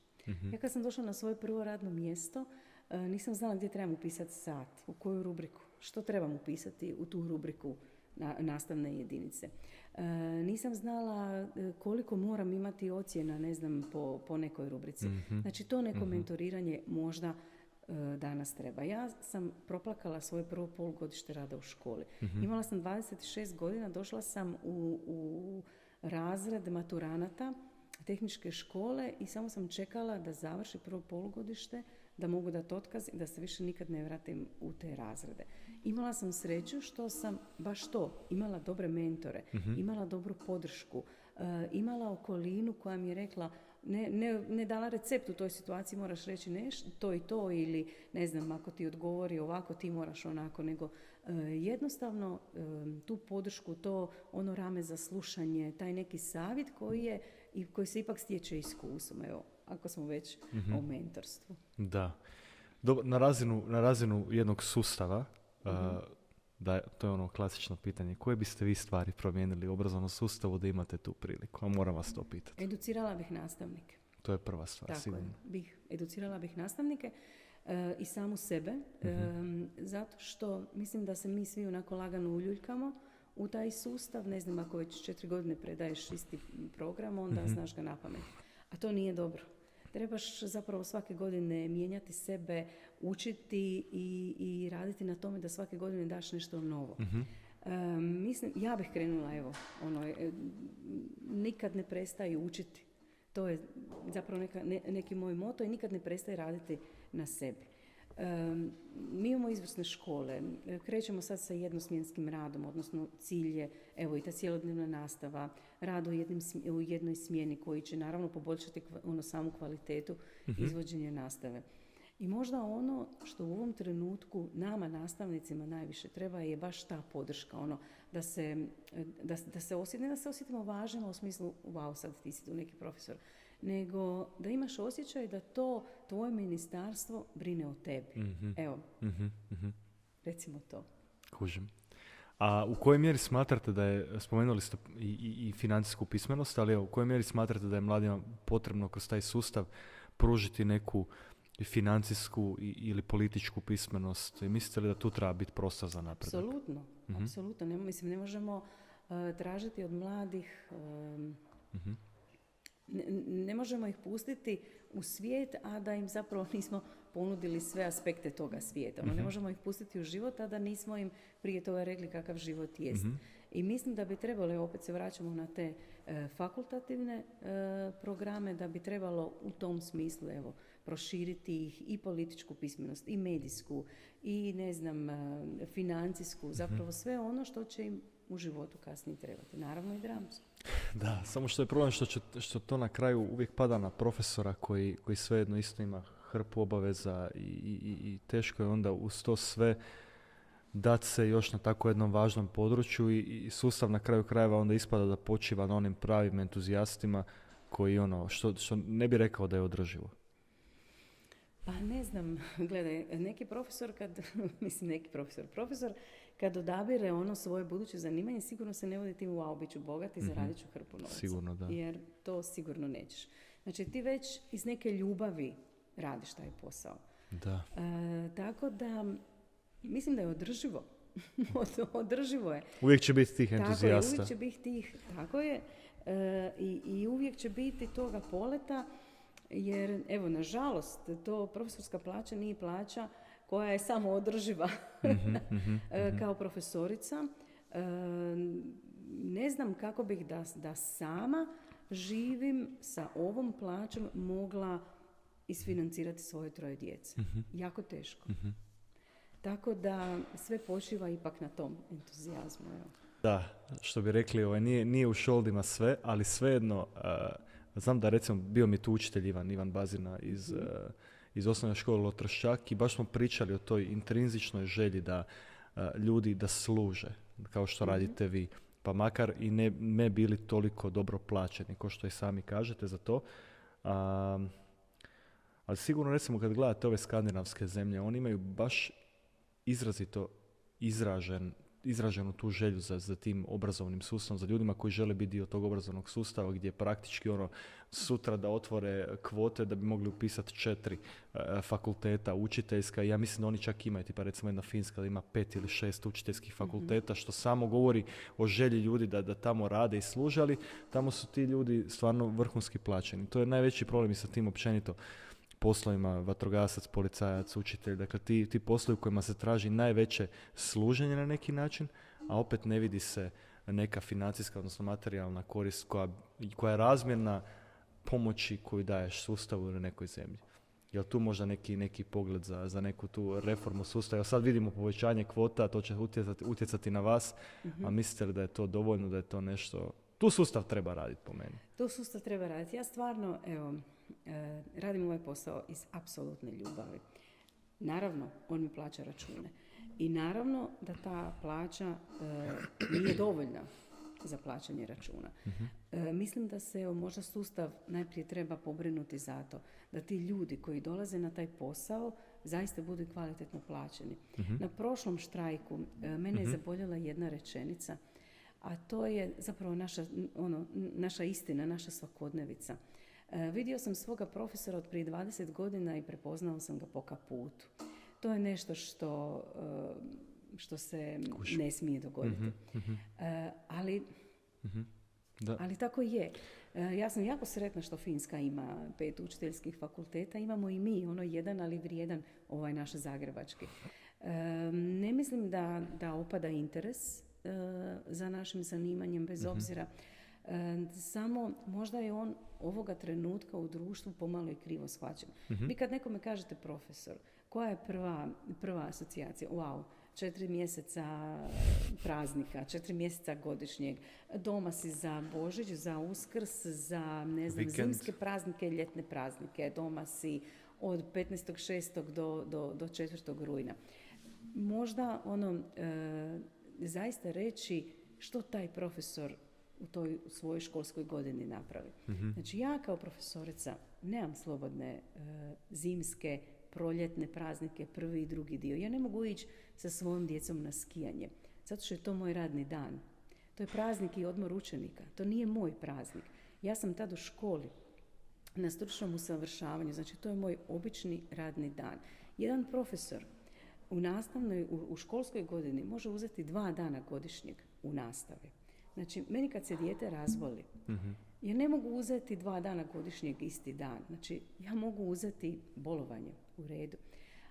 Ja kad sam došla na svoje prvo radno mjesto, nisam znala gdje trebam upisati sat, u koju rubriku, što trebam upisati u tu rubriku nastavne jedinice. Nisam znala koliko moram imati ocjena, ne znam, po nekoj rubrici. Znači, to neko mentoriranje možda danas treba. Ja sam proplakala svoje prvo polugodište rada u školi. Imala sam 26 godina, došla sam u razred maturanata tehničke škole i samo sam čekala da završi prvo polugodište, da mogu dati otkaz i da se više nikad ne vratim u te razrede. Imala sam sreću što sam baš to, imala dobre mentore, imala dobru podršku, imala okolinu koja mi je rekla ne dala recept u toj situaciji, moraš reći to i to, ili ne znam, ako ti odgovori ovako, ti moraš onako, nego jednostavno tu podršku, to ono rame za slušanje, taj neki savjet koji se ipak stječe iskustvom, evo, ako smo već o mentorstvu. Da. Na razinu jednog sustava, to je ono klasično pitanje, koje biste vi stvari promijenili u obrazovnom sustavu da imate tu priliku? A moram vas to pitati. Educirala bih nastavnike. To je prva stvar, tako sigurno. Educirala bih nastavnike i samu sebe, zato što mislim da se mi svi onako lagano uljuljkamo u taj sustav. Ne znam, ako već 4 godine predaješ isti program, onda znaš ga napamet. A to nije dobro. Trebaš zapravo svake godine mijenjati sebe, učiti i raditi na tome da svake godine daš nešto novo. Mislim, ja bih krenula, evo, nikad ne prestaje učiti. To je zapravo neki moj moto i nikad ne prestaje raditi na sebi. Mi imamo izvrsne škole, krećemo sad sa jednosmjenskim radom, odnosno cilj je, evo, i ta cjelodnevna nastava, rad u jednoj smjeni koji će naravno poboljšati samu kvalitetu izvođenja nastave. I možda ono što u ovom trenutku nama nastavnicima najviše treba je baš ta podrška, da se osjetimo važnima u smislu, wow, sad ti si tu neki profesor, nego da imaš osjećaj da to tvoje ministarstvo brine o tebi. Evo, recimo to. Kužim. A u kojoj mjeri smatrate da je, spomenuli ste i financijsku pismenost, ali u kojoj mjeri smatrate da je mladima potrebno kroz taj sustav pružiti neku financijsku ili političku pismenost? Mislite li da tu treba biti prostor za napredak? Apsolutno. Ne možemo tražiti od mladih, ne možemo ih pustiti u svijet, a da im zapravo nismo ponudili sve aspekte toga svijeta. Ne možemo ih pustiti u život, a da nismo im prije toga rekli kakav život jest. I mislim da bi trebalo, opet se vraćamo na te fakultativne programe, da bi trebalo u tom smislu, evo, proširiti ih i političku pismenost, i medijsku, i ne znam, financijsku, zapravo sve ono što će im u životu kasnije trebati. Naravno i dramsku. Da, samo što je problem što to na kraju uvijek pada na profesora koji svejedno isto ima hrpu obaveza i teško je onda uz to sve dati se još na tako jednom važnom području i sustav na kraju krajeva onda ispada da počiva na onim pravim entuzijastima koji što ne bi rekao da je održivo. Pa ne znam, gledaj, profesor kad odabire ono svoje buduće zanimanje, sigurno se ne vodi tim wow, bit ću bogat i zaradit ću hrpu novca. Sigurno, da. Jer to sigurno nećeš. Znači ti već iz neke ljubavi radiš taj posao. Da. Tako da, mislim da je održivo. Održivo je. Uvijek će biti tih entuzijasta. Tako je, uvijek će biti tih, tako je. I uvijek će biti toga poleta. Jer, evo, nažalost, to profesorska plaća nije plaća koja je samo održiva kao profesorica. Ne znam kako bih da sama živim sa ovom plaćom mogla isfinancirati svoje 3 djece. Jako teško. Tako da sve počiva ipak na tom entuzijazmu. Evo. Da, što bi rekli, nije u šoldima sve, ali svejedno... Znam da recimo bio mi tu učitelj Ivan Bazina iz osnovne škole Lotroščak i baš smo pričali o toj intrinzičnoj želji da ljudi da služe, kao što radite vi. Pa makar i ne bili toliko dobro plaćeni, kao što i sami kažete za to. Ali sigurno recimo kad gledate ove skandinavske zemlje, oni imaju baš izrazito izraženu tu želju za tim obrazovnim sustavom, za ljudima koji žele biti dio tog obrazovnog sustava gdje praktički sutra da otvore kvote da bi mogli upisati 4 fakulteta učiteljska. Ja mislim da oni čak imaju, tipa recimo jedna Finska da ima 5 ili 6 učiteljskih fakulteta, što samo govori o želji ljudi da tamo rade i služe, ali tamo su ti ljudi stvarno vrhunski plaćeni. To je najveći problem i sa tim općenito poslovima, vatrogasac, policajac, učitelj, dakle ti poslovi u kojima se traži najveće služenje na neki način, a opet ne vidi se neka financijska, odnosno materijalna korist koja je razmjerna pomoći koju daješ sustavu ili nekoj zemlji. Je li tu možda neki pogled za neku tu reformu sustava? Evo sad vidimo povećanje kvota, to će utjecati na vas, a mislite li da je to dovoljno, da je to nešto... Tu sustav treba raditi po meni. Tu sustav treba raditi. Ja stvarno, radim ovaj posao iz apsolutne ljubavi. Naravno, on mi plaća račune. I naravno da ta plaća nije dovoljna za plaćanje računa. Mislim da se možda sustav najprije treba pobrinuti za to da ti ljudi koji dolaze na taj posao zaista budu kvalitetno plaćeni. Na prošlom štrajku mene je zaboljela jedna rečenica, a to je zapravo naša istina, naša svakodnevica. Vidio sam svoga profesora od prije 20 godina i prepoznao sam ga po kaputu. To je nešto što se ne smije dogoditi. Ali tako je. Ja sam jako sretna što Finska ima 5 učiteljskih fakulteta. Imamo i mi, jedan, ali vrijedan, naš zagrebački. Ne mislim da opada interes za našim zanimanjem, bez obzira. Samo možda je on ovoga trenutka u društvu pomalo i krivo shvaćen. Vi kad nekome kažete profesor, koja je prva asocijacija? Wow, 4 mjeseca praznika, 4 mjeseca godišnjeg, doma si za Božić, za Uskrs, za zimske praznike, ljetne praznike, doma si od 15.6. do 4. rujna. Možda zaista reći što taj profesor u toj svojoj školskoj godini napravi. Znači ja kao profesorica nemam slobodne zimske, proljetne praznike, prvi i drugi dio. Ja ne mogu ići sa svojom djecom na skijanje, zato što je to moj radni dan. To je praznik i odmor učenika. To nije moj praznik. Ja sam tad u školi, na stručnom usavršavanju, znači to je moj obični radni dan. Jedan profesor u školskoj godini može uzeti 2 dana godišnjeg u nastavi. Znači, meni kad se dijete razboli, ja ne mogu uzeti 2 dana godišnjeg isti dan. Znači, ja mogu uzeti bolovanje u redu.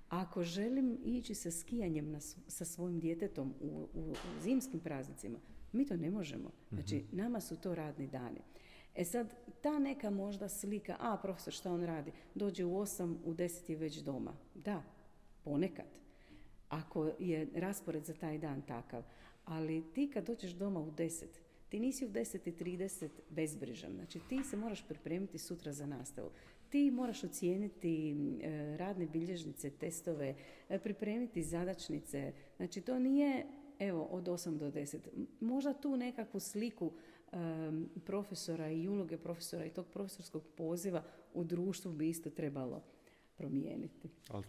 Ako želim ići sa skijanjem sa svojim djetetom u zimskim praznicima, mi to ne možemo. Znači, nama su to radni dani. E sad, ta neka možda slika, profesor šta on radi? Dođe u 8, u 10 je već doma. Da, ponekad. Ako je raspored za taj dan takav. Ali ti kad dođeš doma u 10, Ti nisi u 10:30 bezbrižan. Znači ti se moraš pripremiti sutra za nastavu. Ti moraš ocijeniti radne bilježnice, testove, pripremiti zadačnice. Znači to nije evo od 8 do 10. Možda tu nekakvu sliku profesora i uloge profesora i tog profesorskog poziva u društvu bi isto trebalo promijeniti. Ali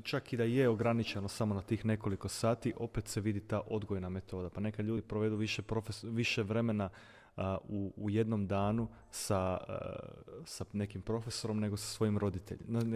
čak i da je ograničeno samo na tih nekoliko sati, opet se vidi ta odgojna metoda. Pa neka ljudi provedu više vremena u jednom danu sa nekim profesorom nego sa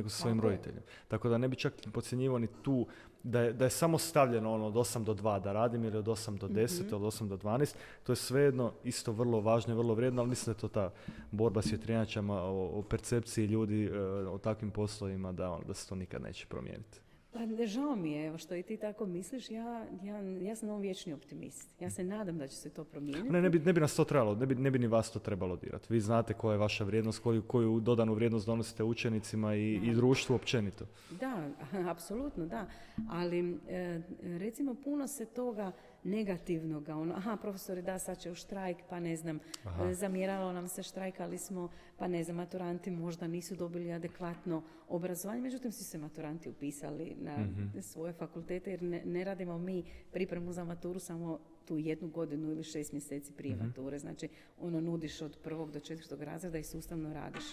svojim roditeljem. Tako da ne bi čak podcjenjivao ni tu da je samo stavljeno od 8 do 2 da radim ili od 8 do 10 ili od 8 do 12. To je svejedno isto vrlo važno i vrlo vrijedno, ali mislim da je to ta borba s vjetrenjačama o percepciji ljudi o takvim poslovima da se to nikad neće promijeniti. Pa žao mi je, evo što i ti tako misliš, ja sam ovo vječni optimist. Ja se nadam da će se to promijeniti. Ne bi nas to trebalo, ne bi ni vas to trebalo dirati. Vi znate koja je vaša vrijednost, koju dodanu vrijednost donosite učenicima i društvu općenito. Da, apsolutno da. Ali recimo puno se toga negativnoga, profesori da, sad će u štrajk, pa ne znam, zamjeralo nam se, štrajkali smo, pa ne znam, maturanti možda nisu dobili adekvatno obrazovanje, međutim svi se maturanti upisali na svoje fakultete, jer ne radimo mi pripremu za maturu samo tu 1 godinu ili 6 mjeseci prije mature, znači nudiš od 1. do 4. razreda i sustavno radiš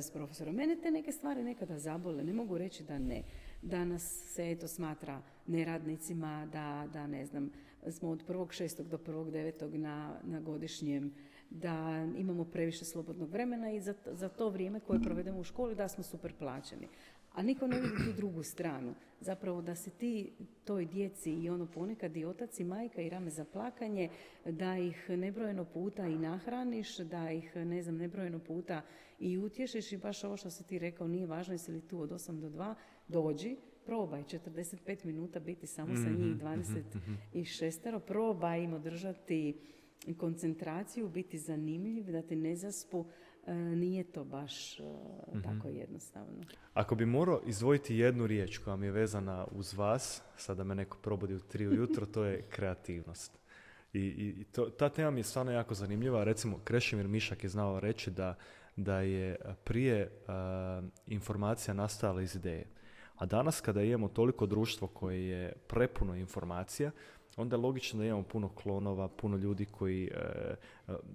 s profesorom. Mene te neke stvari nekada zabole, ne mogu reći da ne. Danas se eto smatra neradnicima, da ne znam, smo od 1.6. do 1.9. na godišnjem, da imamo previše slobodnog vremena i za to vrijeme koje provedemo u školi da smo super plaćeni. A niko ne vidi tu drugu stranu. Zapravo da se ti toj djeci i ponekad i otac i majka i rame za plakanje, da ih nebrojeno puta i nahraniš, da ih nebrojeno puta i utješiš i baš ovo što si ti rekao, nije važno jesi li tu od 8 do 2, dođi, probaj 45 minuta biti samo sa njih 26, probaj im održati koncentraciju, biti zanimljiv, da ti ne zaspu, nije to baš tako jednostavno. Ako bi morao izdvojiti jednu riječ koja mi je vezana uz vas, sada me neko probudi u 3 ujutro, to je kreativnost. I ta tema mi je stvarno jako zanimljiva. Recimo, Krešimir Mišak je znao reći da je prije informacija nastajala iz ideje. A danas kada imamo toliko društvo koje je prepuno informacija, onda je logično da imamo puno klonova, puno ljudi koji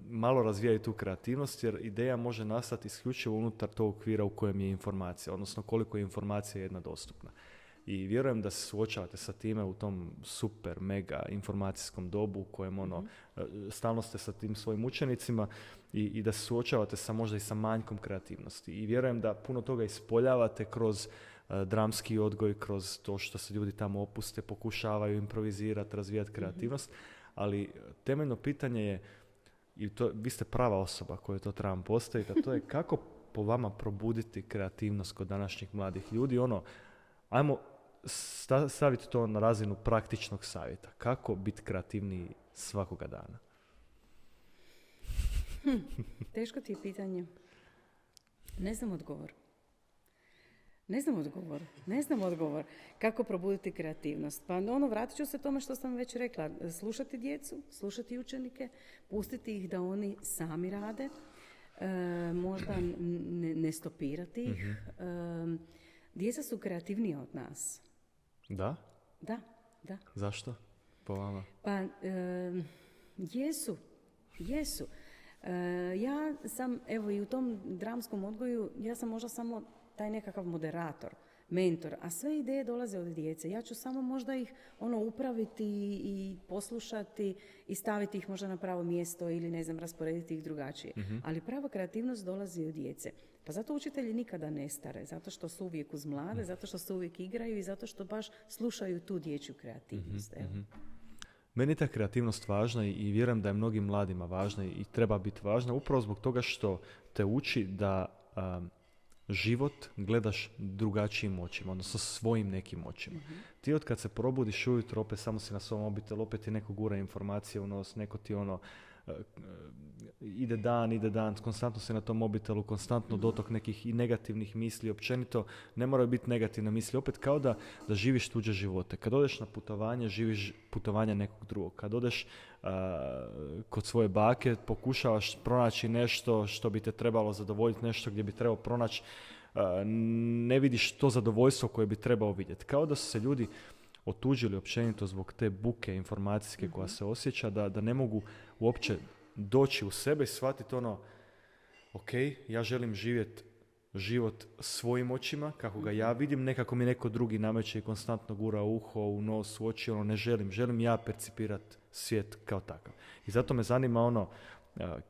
malo razvijaju tu kreativnost, jer ideja može nastati isključivo unutar tog okvira u kojem je informacija, odnosno koliko je informacija jedna dostupna. I vjerujem da se suočavate sa time u tom super, mega informacijskom dobu u kojem stalno ste sa tim svojim učenicima i da se suočavate možda i sa manjkom kreativnosti. I vjerujem da puno toga ispoljavate kroz dramski odgoj, kroz to što se ljudi tamo opuste, pokušavaju improvizirati, razvijati kreativnost, ali temeljno pitanje je, i vi ste prava osoba koju to trebam postaviti, a to je kako po vama probuditi kreativnost kod današnjih mladih ljudi, ajmo staviti to na razinu praktičnog savjeta. Kako biti kreativniji svakoga dana? Teško ti je pitanje. Ne znam odgovor. Kako probuditi kreativnost? Pa vratit ću se tome što sam već rekla. Slušati djecu, slušati učenike, pustiti ih da oni sami rade, možda ne stopirati ih. Djeca su kreativnija od nas. Da? Da. Zašto? Po vama? Pa, jesu. Ja sam, evo i u tom dramskom odgoju, ja sam možda samo taj nekakav moderator, mentor, a sve ideje dolaze od djece. Ja ću samo možda ih upraviti i poslušati i staviti ih možda na pravo mjesto ili rasporediti ih drugačije. Ali prava kreativnost dolazi od djece. Pa zato učitelji nikada ne stare, zato što su uvijek uz mlade, zato što se uvijek igraju i zato što baš slušaju tu dječju kreativnost. Meni je ta kreativnost važna i vjerujem da je mnogim mladima važna i treba biti važna upravo zbog toga što te uči da život gledaš drugačijim očima, odnosno svojim nekim očima. Ti od kad se probudiš ujutro, opet samo si na svom mobitelu, opet ti neko gura informacije u nos, neko ti ide dan, konstantno se na tom mobitelu, konstantno dotok nekih i negativnih misli, općenito ne moraju biti negativne misli, opet kao da živiš tuđe živote. Kad odeš na putovanje, živiš putovanje nekog drugog. Kad odeš kod svoje bake, pokušavaš pronaći nešto što bi te trebalo zadovoljiti, nešto gdje bi trebao pronaći, ne vidiš to zadovoljstvo koje bi trebao vidjeti. Kao da su se ljudi otuđili općenito zbog te buke informacijske koja se osjeća, da ne mogu uopće doći u sebe i shvatiti ok, ja želim živjeti život svojim očima, kako ga ja vidim, nekako mi neko drugi nameće i konstantno gura u uho, u nos, u oči, ne želim ja percipirati svijet kao takav. I zato me zanima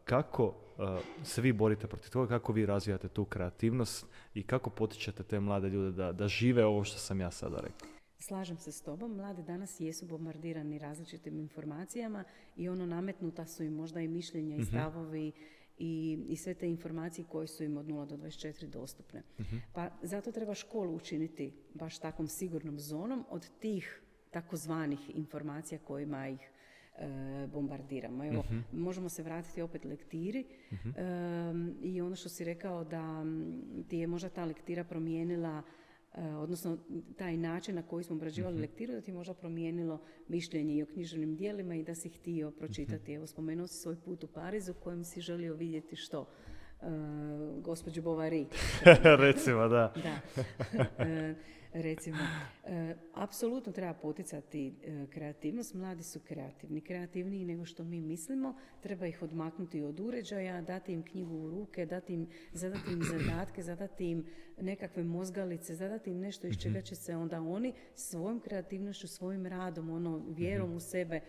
kako se vi borite protiv toga, kako vi razvijate tu kreativnost i kako potičete te mlade ljude da žive ovo što sam ja sada rekao. Slažem se s tobom, mladi danas jesu bombardirani različitim informacijama i nametnuta su im možda i mišljenja i stavovi i sve te informacije koje su im od 0 do 24 dostupne. Pa zato treba školu učiniti baš takvom sigurnom zonom od tih takozvanih informacija kojima ih bombardiramo. Evo, možemo se vratiti opet lektiri i ono što si rekao da ti je možda ta lektira promijenila, odnosno taj način na koji smo obrađivali lektiru, da ti je možda promijenilo mišljenje i o književnim dijelima i da si htio pročitati. Evo, spomenuo si svoj put u Parizu u kojem si želio vidjeti što? Gospođu Bovary. Recimo, da. Recimo, apsolutno treba poticati kreativnost. Mladi su kreativniji nego što mi mislimo. Treba ih odmaknuti od uređaja, dati im knjigu u ruke, zadati im zadatke, zadati im nekakve mozgalice, zadati im nešto iz čega će se onda oni svojom kreativnošću, svojim radom, vjerom u sebe,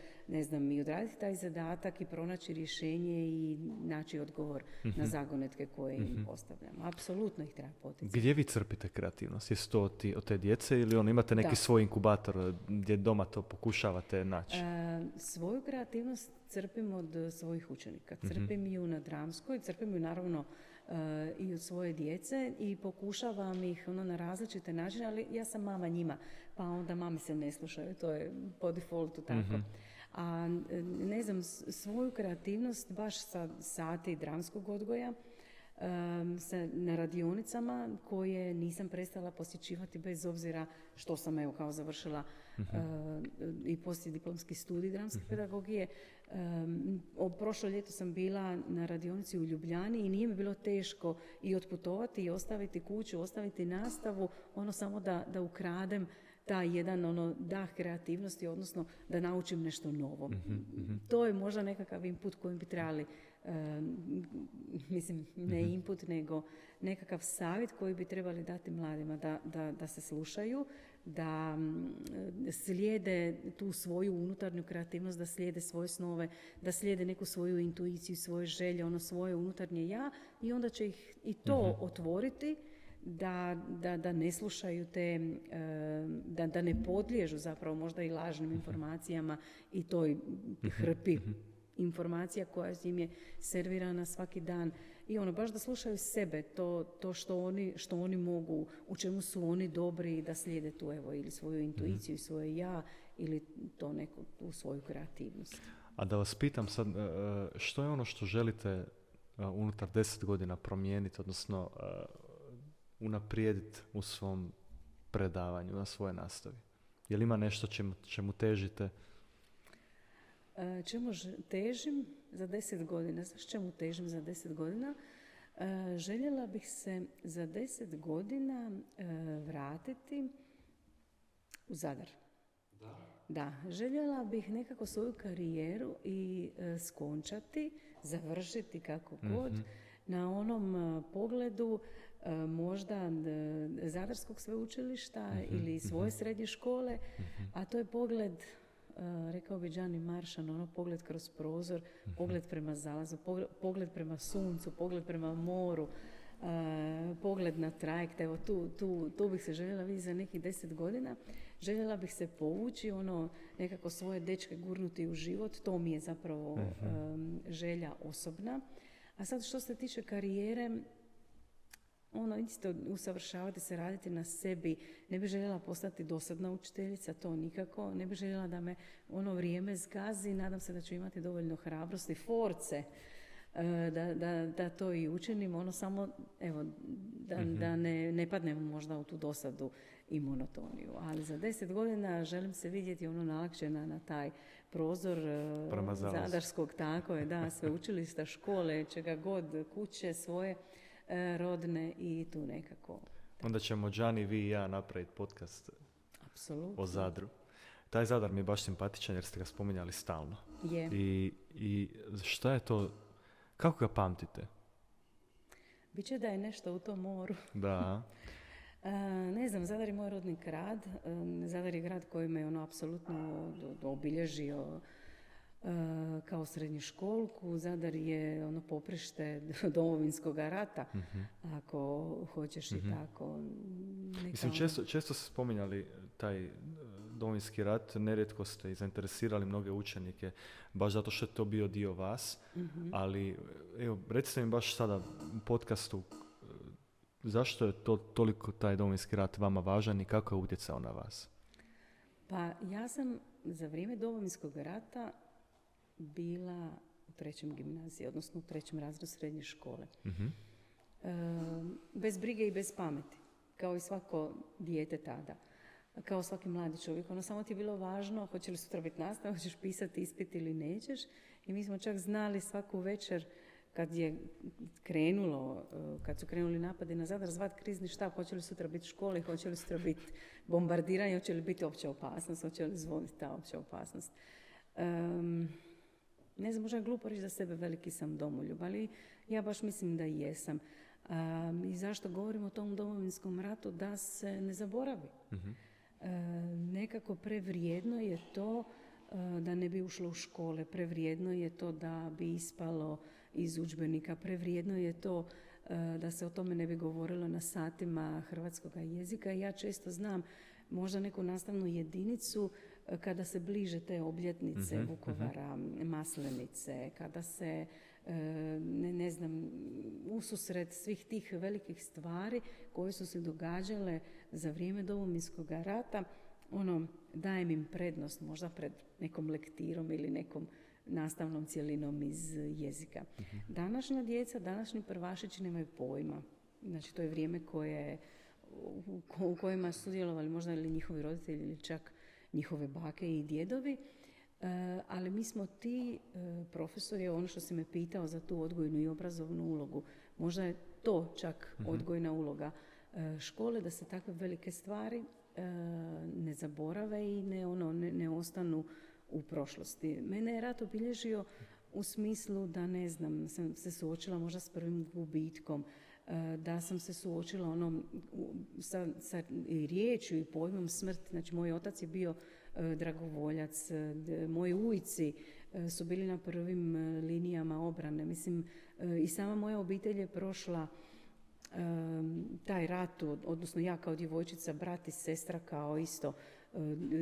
i odraditi taj zadatak i pronaći rješenje i naći odgovor na zagonetke koje im postavljamo. Apsolutno ih treba poticati. Gdje vi crpite kreativnost? Jesu to od te djece ili imate neki svoj inkubator gdje doma to pokušavate naći? Svoju kreativnost crpim od svojih učenika. Crpim ju na dramskoj, crpim ju naravno i od svoje djece i pokušavam ih na različite načine, ali ja sam mama njima, pa onda mame se ne slušaju, to je po defaultu tako. A svoju kreativnost baš sa sati dramskog odgoja, na radionicama koje nisam prestala posjećivati bez obzira što sam kao završila i poslijediplomski studij dramske pedagogije. Prošlo ljeto sam bila na radionici u Ljubljani i nije mi bilo teško i otputovati i ostaviti kuću, ostaviti nastavu, samo da ukradem taj jedan dah kreativnosti, odnosno da naučim nešto novo. To je možda nekakav input kojim bi trebali, ne input, nego nekakav savjet koji bi trebali dati mladima, da se slušaju, da slijede tu svoju unutarnju kreativnost, da slijede svoje snove, da slijede neku svoju intuiciju, svoje želje, svoje unutarnje ja, i onda će ih i to otvoriti, da ne slušaju da ne podliježu zapravo možda i lažnim informacijama i toj hrpi informacija koja im je servirana svaki dan. I baš da slušaju sebe, to što oni mogu, u čemu su oni dobri, da slijede tu ili svoju intuiciju i svoje ja, ili to neku tu svoju kreativnost. A da vas pitam sad, što je ono što želite unutar 10 godina promijeniti, odnosno unaprijediti u svom predavanju, na svojoj nastavi? Je li ima nešto čemu težite? Čemu težim za 10 godina? Znaš čemu težim za 10 godina? Željela bih se za 10 godina vratiti u Zadar. Da, željela bih nekako svoju karijeru i skončati, završiti kako god, na onom pogledu možda Zadarskog sveučilišta ili svoje srednje škole, a to je pogled, rekao bi Gianni Maršan, pogled kroz prozor, pogled prema zalazu, pogled prema suncu, pogled prema moru, pogled na trajekt. Evo tu bih se željela vidjeti za nekih 10 godina. Željela bih se povući, nekako svoje dečke gurnuti u život, to mi je zapravo želja osobna. A sad što se tiče karijere, ono isto usavršavati se, raditi na sebi. Ne bi željela postati dosadna učiteljica, to nikako. Ne bi željela da me ono vrijeme zgazi. Nadam se da ću imati dovoljno hrabrosti, force da to i učinim. Ono samo, evo, da ne padnem možda u tu dosadu i monotoniju. Ali za 10 godina želim se vidjeti ono nalakšena na taj prozor Zadarskog, tako je, da, sveučilišta, škole, čega god, kuće svoje rodne i tu nekako. Onda ćemo Đani, vi i ja napraviti podcast Apsolutno. O Zadru. Taj Zadar mi je baš simpatičan jer ste ga spominjali stalno. Je. I šta je to, kako ga pamtite? Biće da je nešto u tom moru. Da. Ne znam, Zadar je moj rodni grad. Zadar je grad koji me ono apsolutno obilježio kao srednjoškolku. Zadar je ono poprište Domovinskog rata, ako hoćeš i tako. Mislim, često ste spominjali taj Domovinski rat, nerijetko ste i zainteresirali mnoge učenike, baš zato što je to bio dio vas, ali evo, recite mi baš sada u podcastu, zašto je to toliko taj Domovinski rat vama važan i kako je utjecao na vas? Pa ja sam za vrijeme Domovinskog rata bila u 3. gimnaziji, odnosno u 3. razredu srednje škole. Bez brige i bez pameti, kao i svako dijete tada. Kao svaki mladi čovjek. Ono samo ti je bilo važno hoće li sutra biti nastava, hoćeš pisati ispit ili nećeš. I mi smo čak znali svaku večer kad je krenulo, kad su krenuli napadi na Zadar, zvat krizni štab, hoće li sutra biti škole, hoće li sutra biti bombardiranje, hoće li biti opća opasnost, hoće li zvoniti ta opća opasnost. Ne znam, možda je glupo reći za sebe veliki sam domoljub, ali ja baš mislim da jesam. I zašto govorim o tom Domovinskom ratu? Da se ne zaboravi. Nekako prevrijedno je to da ne bi ušlo u škole, prevrijedno je to da bi ispalo iz udžbenika, prevrijedno je to da se o tome ne bi govorilo na satima hrvatskog jezika. Ja često znam možda neku nastavnu jedinicu kada se bliže te obljetnice Vukovara, Maslenice, kada se ne znam, ususret svih tih velikih stvari koje su se događale za vrijeme Domovinskog rata, ono, dajem im prednost možda pred nekom lektirom ili nekom nastavnom cjelinom iz jezika. Današnja djeca, današnji prvašići nemaju pojma. Znači, to je vrijeme u kojima su sudjelovali možda ili njihovi roditelji ili čak njihove bake i djedovi. Ali mi smo ti profesori, ono što si me pitao za tu odgojnu i obrazovnu ulogu, možda je to čak odgojna uloga škole, da se takve velike stvari ne zaborave i ne ostanu u prošlosti. Mene je rat obilježio u smislu da, ne znam, sam se suočila možda s prvim gubitkom, da sam se suočila sa riječju i pojmom smrti. Znači, moj otac je bio dragovoljac, moji ujci su bili na prvim linijama obrane. Mislim, i sama moja obitelj je prošla taj rat, odnosno ja kao djevojčica, brat i sestra kao isto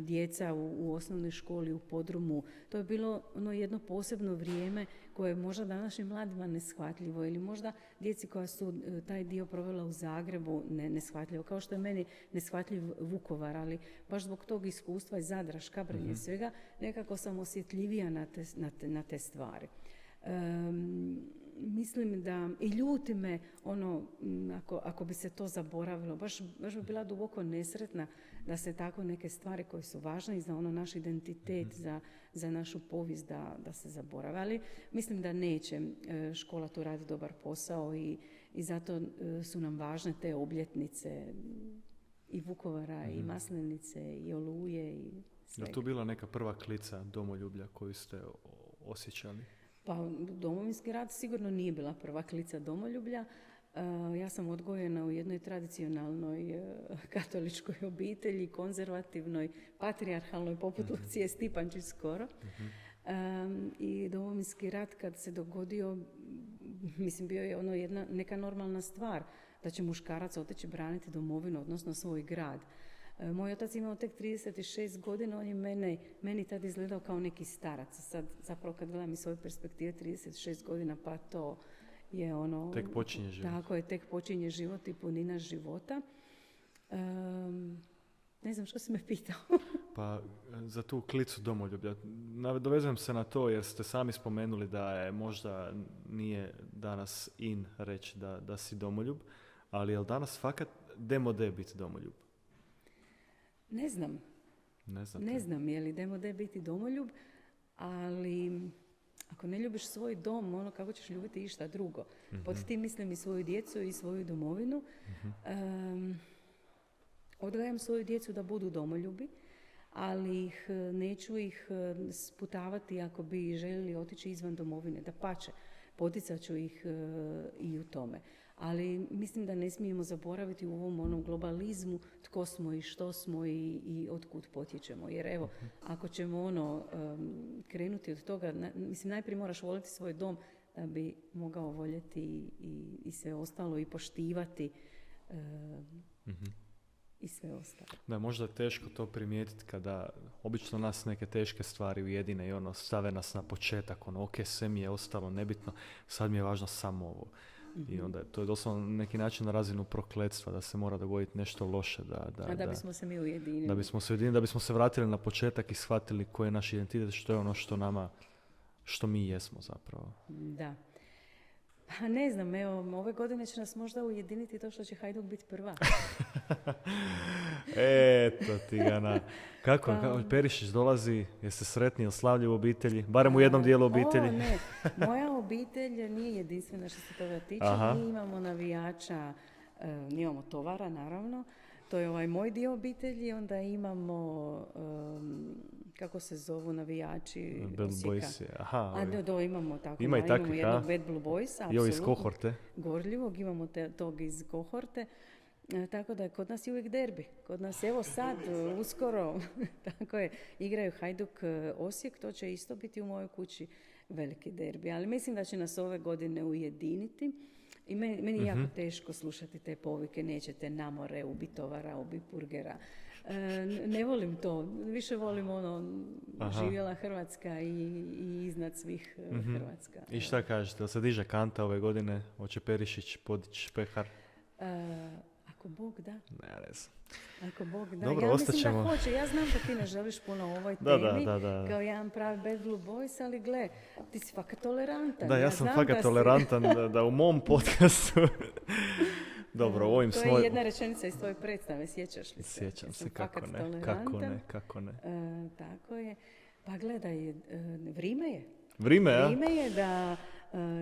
djeca u osnovnoj školi u podrumu. To je bilo jedno posebno vrijeme koje je možda današnjim mladima neshvatljivo ili možda djeci koja su taj dio provela u Zagrebu neshvatljivo. Kao što je meni neshvatljiv Vukovar, ali baš zbog tog iskustva iz Zadra, Škabrnje, svega, nekako sam osjetljivija na te stvari. Mislim da i ljuti me ako bi se to zaboravilo. Baš bi bila duboko nesretna da se tako neke stvari koje su važne i za naš identitet, za našu povijest da se zaborave. Ali mislim da neće. Škola tu radi dobar posao i zato su nam važne te obljetnice i Vukovara i Maslenice i Oluje i svega. Je tu bila neka prva klica domoljublja koju ste osjećali? Pa Domovinski rat sigurno nije bila prva klica domoljublja. Ja sam odgojena u jednoj tradicionalnoj katoličkoj obitelji, konzervativnoj, patrijarhalnoj, poput Lucije Stipančić skoro. I Domovinski rat kad se dogodio, mislim, bio je neka normalna stvar da će muškarac otići braniti domovinu, odnosno svoj grad. Moj otac imao tek 36 godina, on je meni tad izgledao kao neki starac. Sad, zapravo kad gledam iz svoje perspektive, 36 godina, pa to je ono... Tek počinje život. Tako je, tek počinje život i punina života. Ne znam što si me pitao. Pa za tu klicu domoljublja. Dovezujem se na to jer ste sami spomenuli da je možda nije danas in reći da si domoljub, ali je li danas fakat demode biti domoljub? Ne znam. Ne znam je li demode biti domoljub, ali ako ne ljubiš svoj dom, ono kako ćeš ljubiti išta drugo. Mm-hmm. Pod tim mislim i svoju djecu i svoju domovinu. Mm-hmm. Odgajam svoju djecu da budu domoljubi, ali neću ih sputavati ako bi željeli otići izvan domovine. Dapače, poticat ću ih i u tome. Ali mislim da ne smijemo zaboraviti u ovom onom globalizmu tko smo i što smo i otkud potječemo. Jer evo, ako ćemo krenuti od toga, mislim najprije moraš voljeti svoj dom da bi mogao voljeti i sve ostalo i poštivati i sve ostalo. Da, možda je teško to primijetiti kada obično nas neke teške stvari ujedine i stave nas na početak, ok, sve mi je ostalo nebitno, sad mi je važno samo ovo. I onda to je doslovno na neki način na razinu prokletstva da se mora dogoditi nešto loše. Da bismo se mi ujedinili. Da bismo se ujedinili, da bismo se vratili na početak i shvatili koji je naš identitet, što je ono što mi jesmo zapravo. Da. Pa ne znam, evo, ove godine će nas možda ujediniti to što će Hajduk biti prva. Eto ti ga Kako Perišić dolazi, jeste sretni, slavlji u obitelji, barem u jednom dijelu obitelji? Ne, moja obitelj nije jedinstvena što se toga tiče. Aha. Mi imamo navijača, imamo tovara naravno, to je ovaj moj dio obitelji, onda imamo, kako se zovu navijači Bad Osijeka. Boys, aha. Imamo tako. Ima i takvih, imamo jednog Bad Blue Boysa, apsolutno. iz kohorte. Gorljivog, imamo tog iz kohorte. Tako da kod nas je uvijek derbi. Kod nas evo sad, uskoro, tako je, igraju Hajduk Osijek, to će isto biti u mojoj kući veliki derbi. Ali mislim da će nas ove godine ujediniti. I meni je jako teško slušati te povike, nećete na more, ubi tovara, ubi burgera. Ne volim to. Više volim živjela Hrvatska i iznad svih Hrvatska. I šta kažete, da se diže kanta ove godine? Hoće Perišić podići pehar? Ako Bog da. Ne znam. Ako Bog da. Dobro, ja mislim da hoće. Ja znam da ti ne želiš puno o ovoj temi. Da. Kao jedan pravi Bad Blue Boys, ali gle, ti si fakat tolerantan. Da, ja sam fakat tolerantan da u mom podcastu... Dobro, ovim to je jedna rečenica iz tvoje predstave, sjećaš li se? Sjećam se, kako ne. Tako je. Pa gledaj, vrijeme je. Vrijeme je da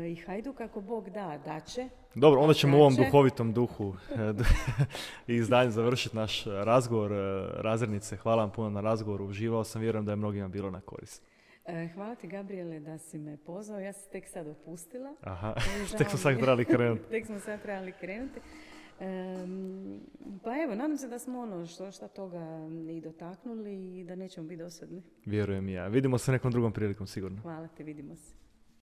i Hajduk ako Bog da će. Dobro, onda ćemo u ovom duhovitom duhu i izdanju završiti naš razgovor. Razrednice, hvala vam puno na razgovoru, uživao sam, vjerujem da je mnogima bilo na korist. Hvala ti, Gabriele, da si me pozvao. Ja sam tek sad opustila. Aha, tek smo sad trebali krenuti. Pa evo, nadam se da smo što toga i dotaknuli i da nećemo biti dosadni. Vjerujem i ja. Vidimo se nekom drugom prilikom, sigurno. Hvala te, vidimo se.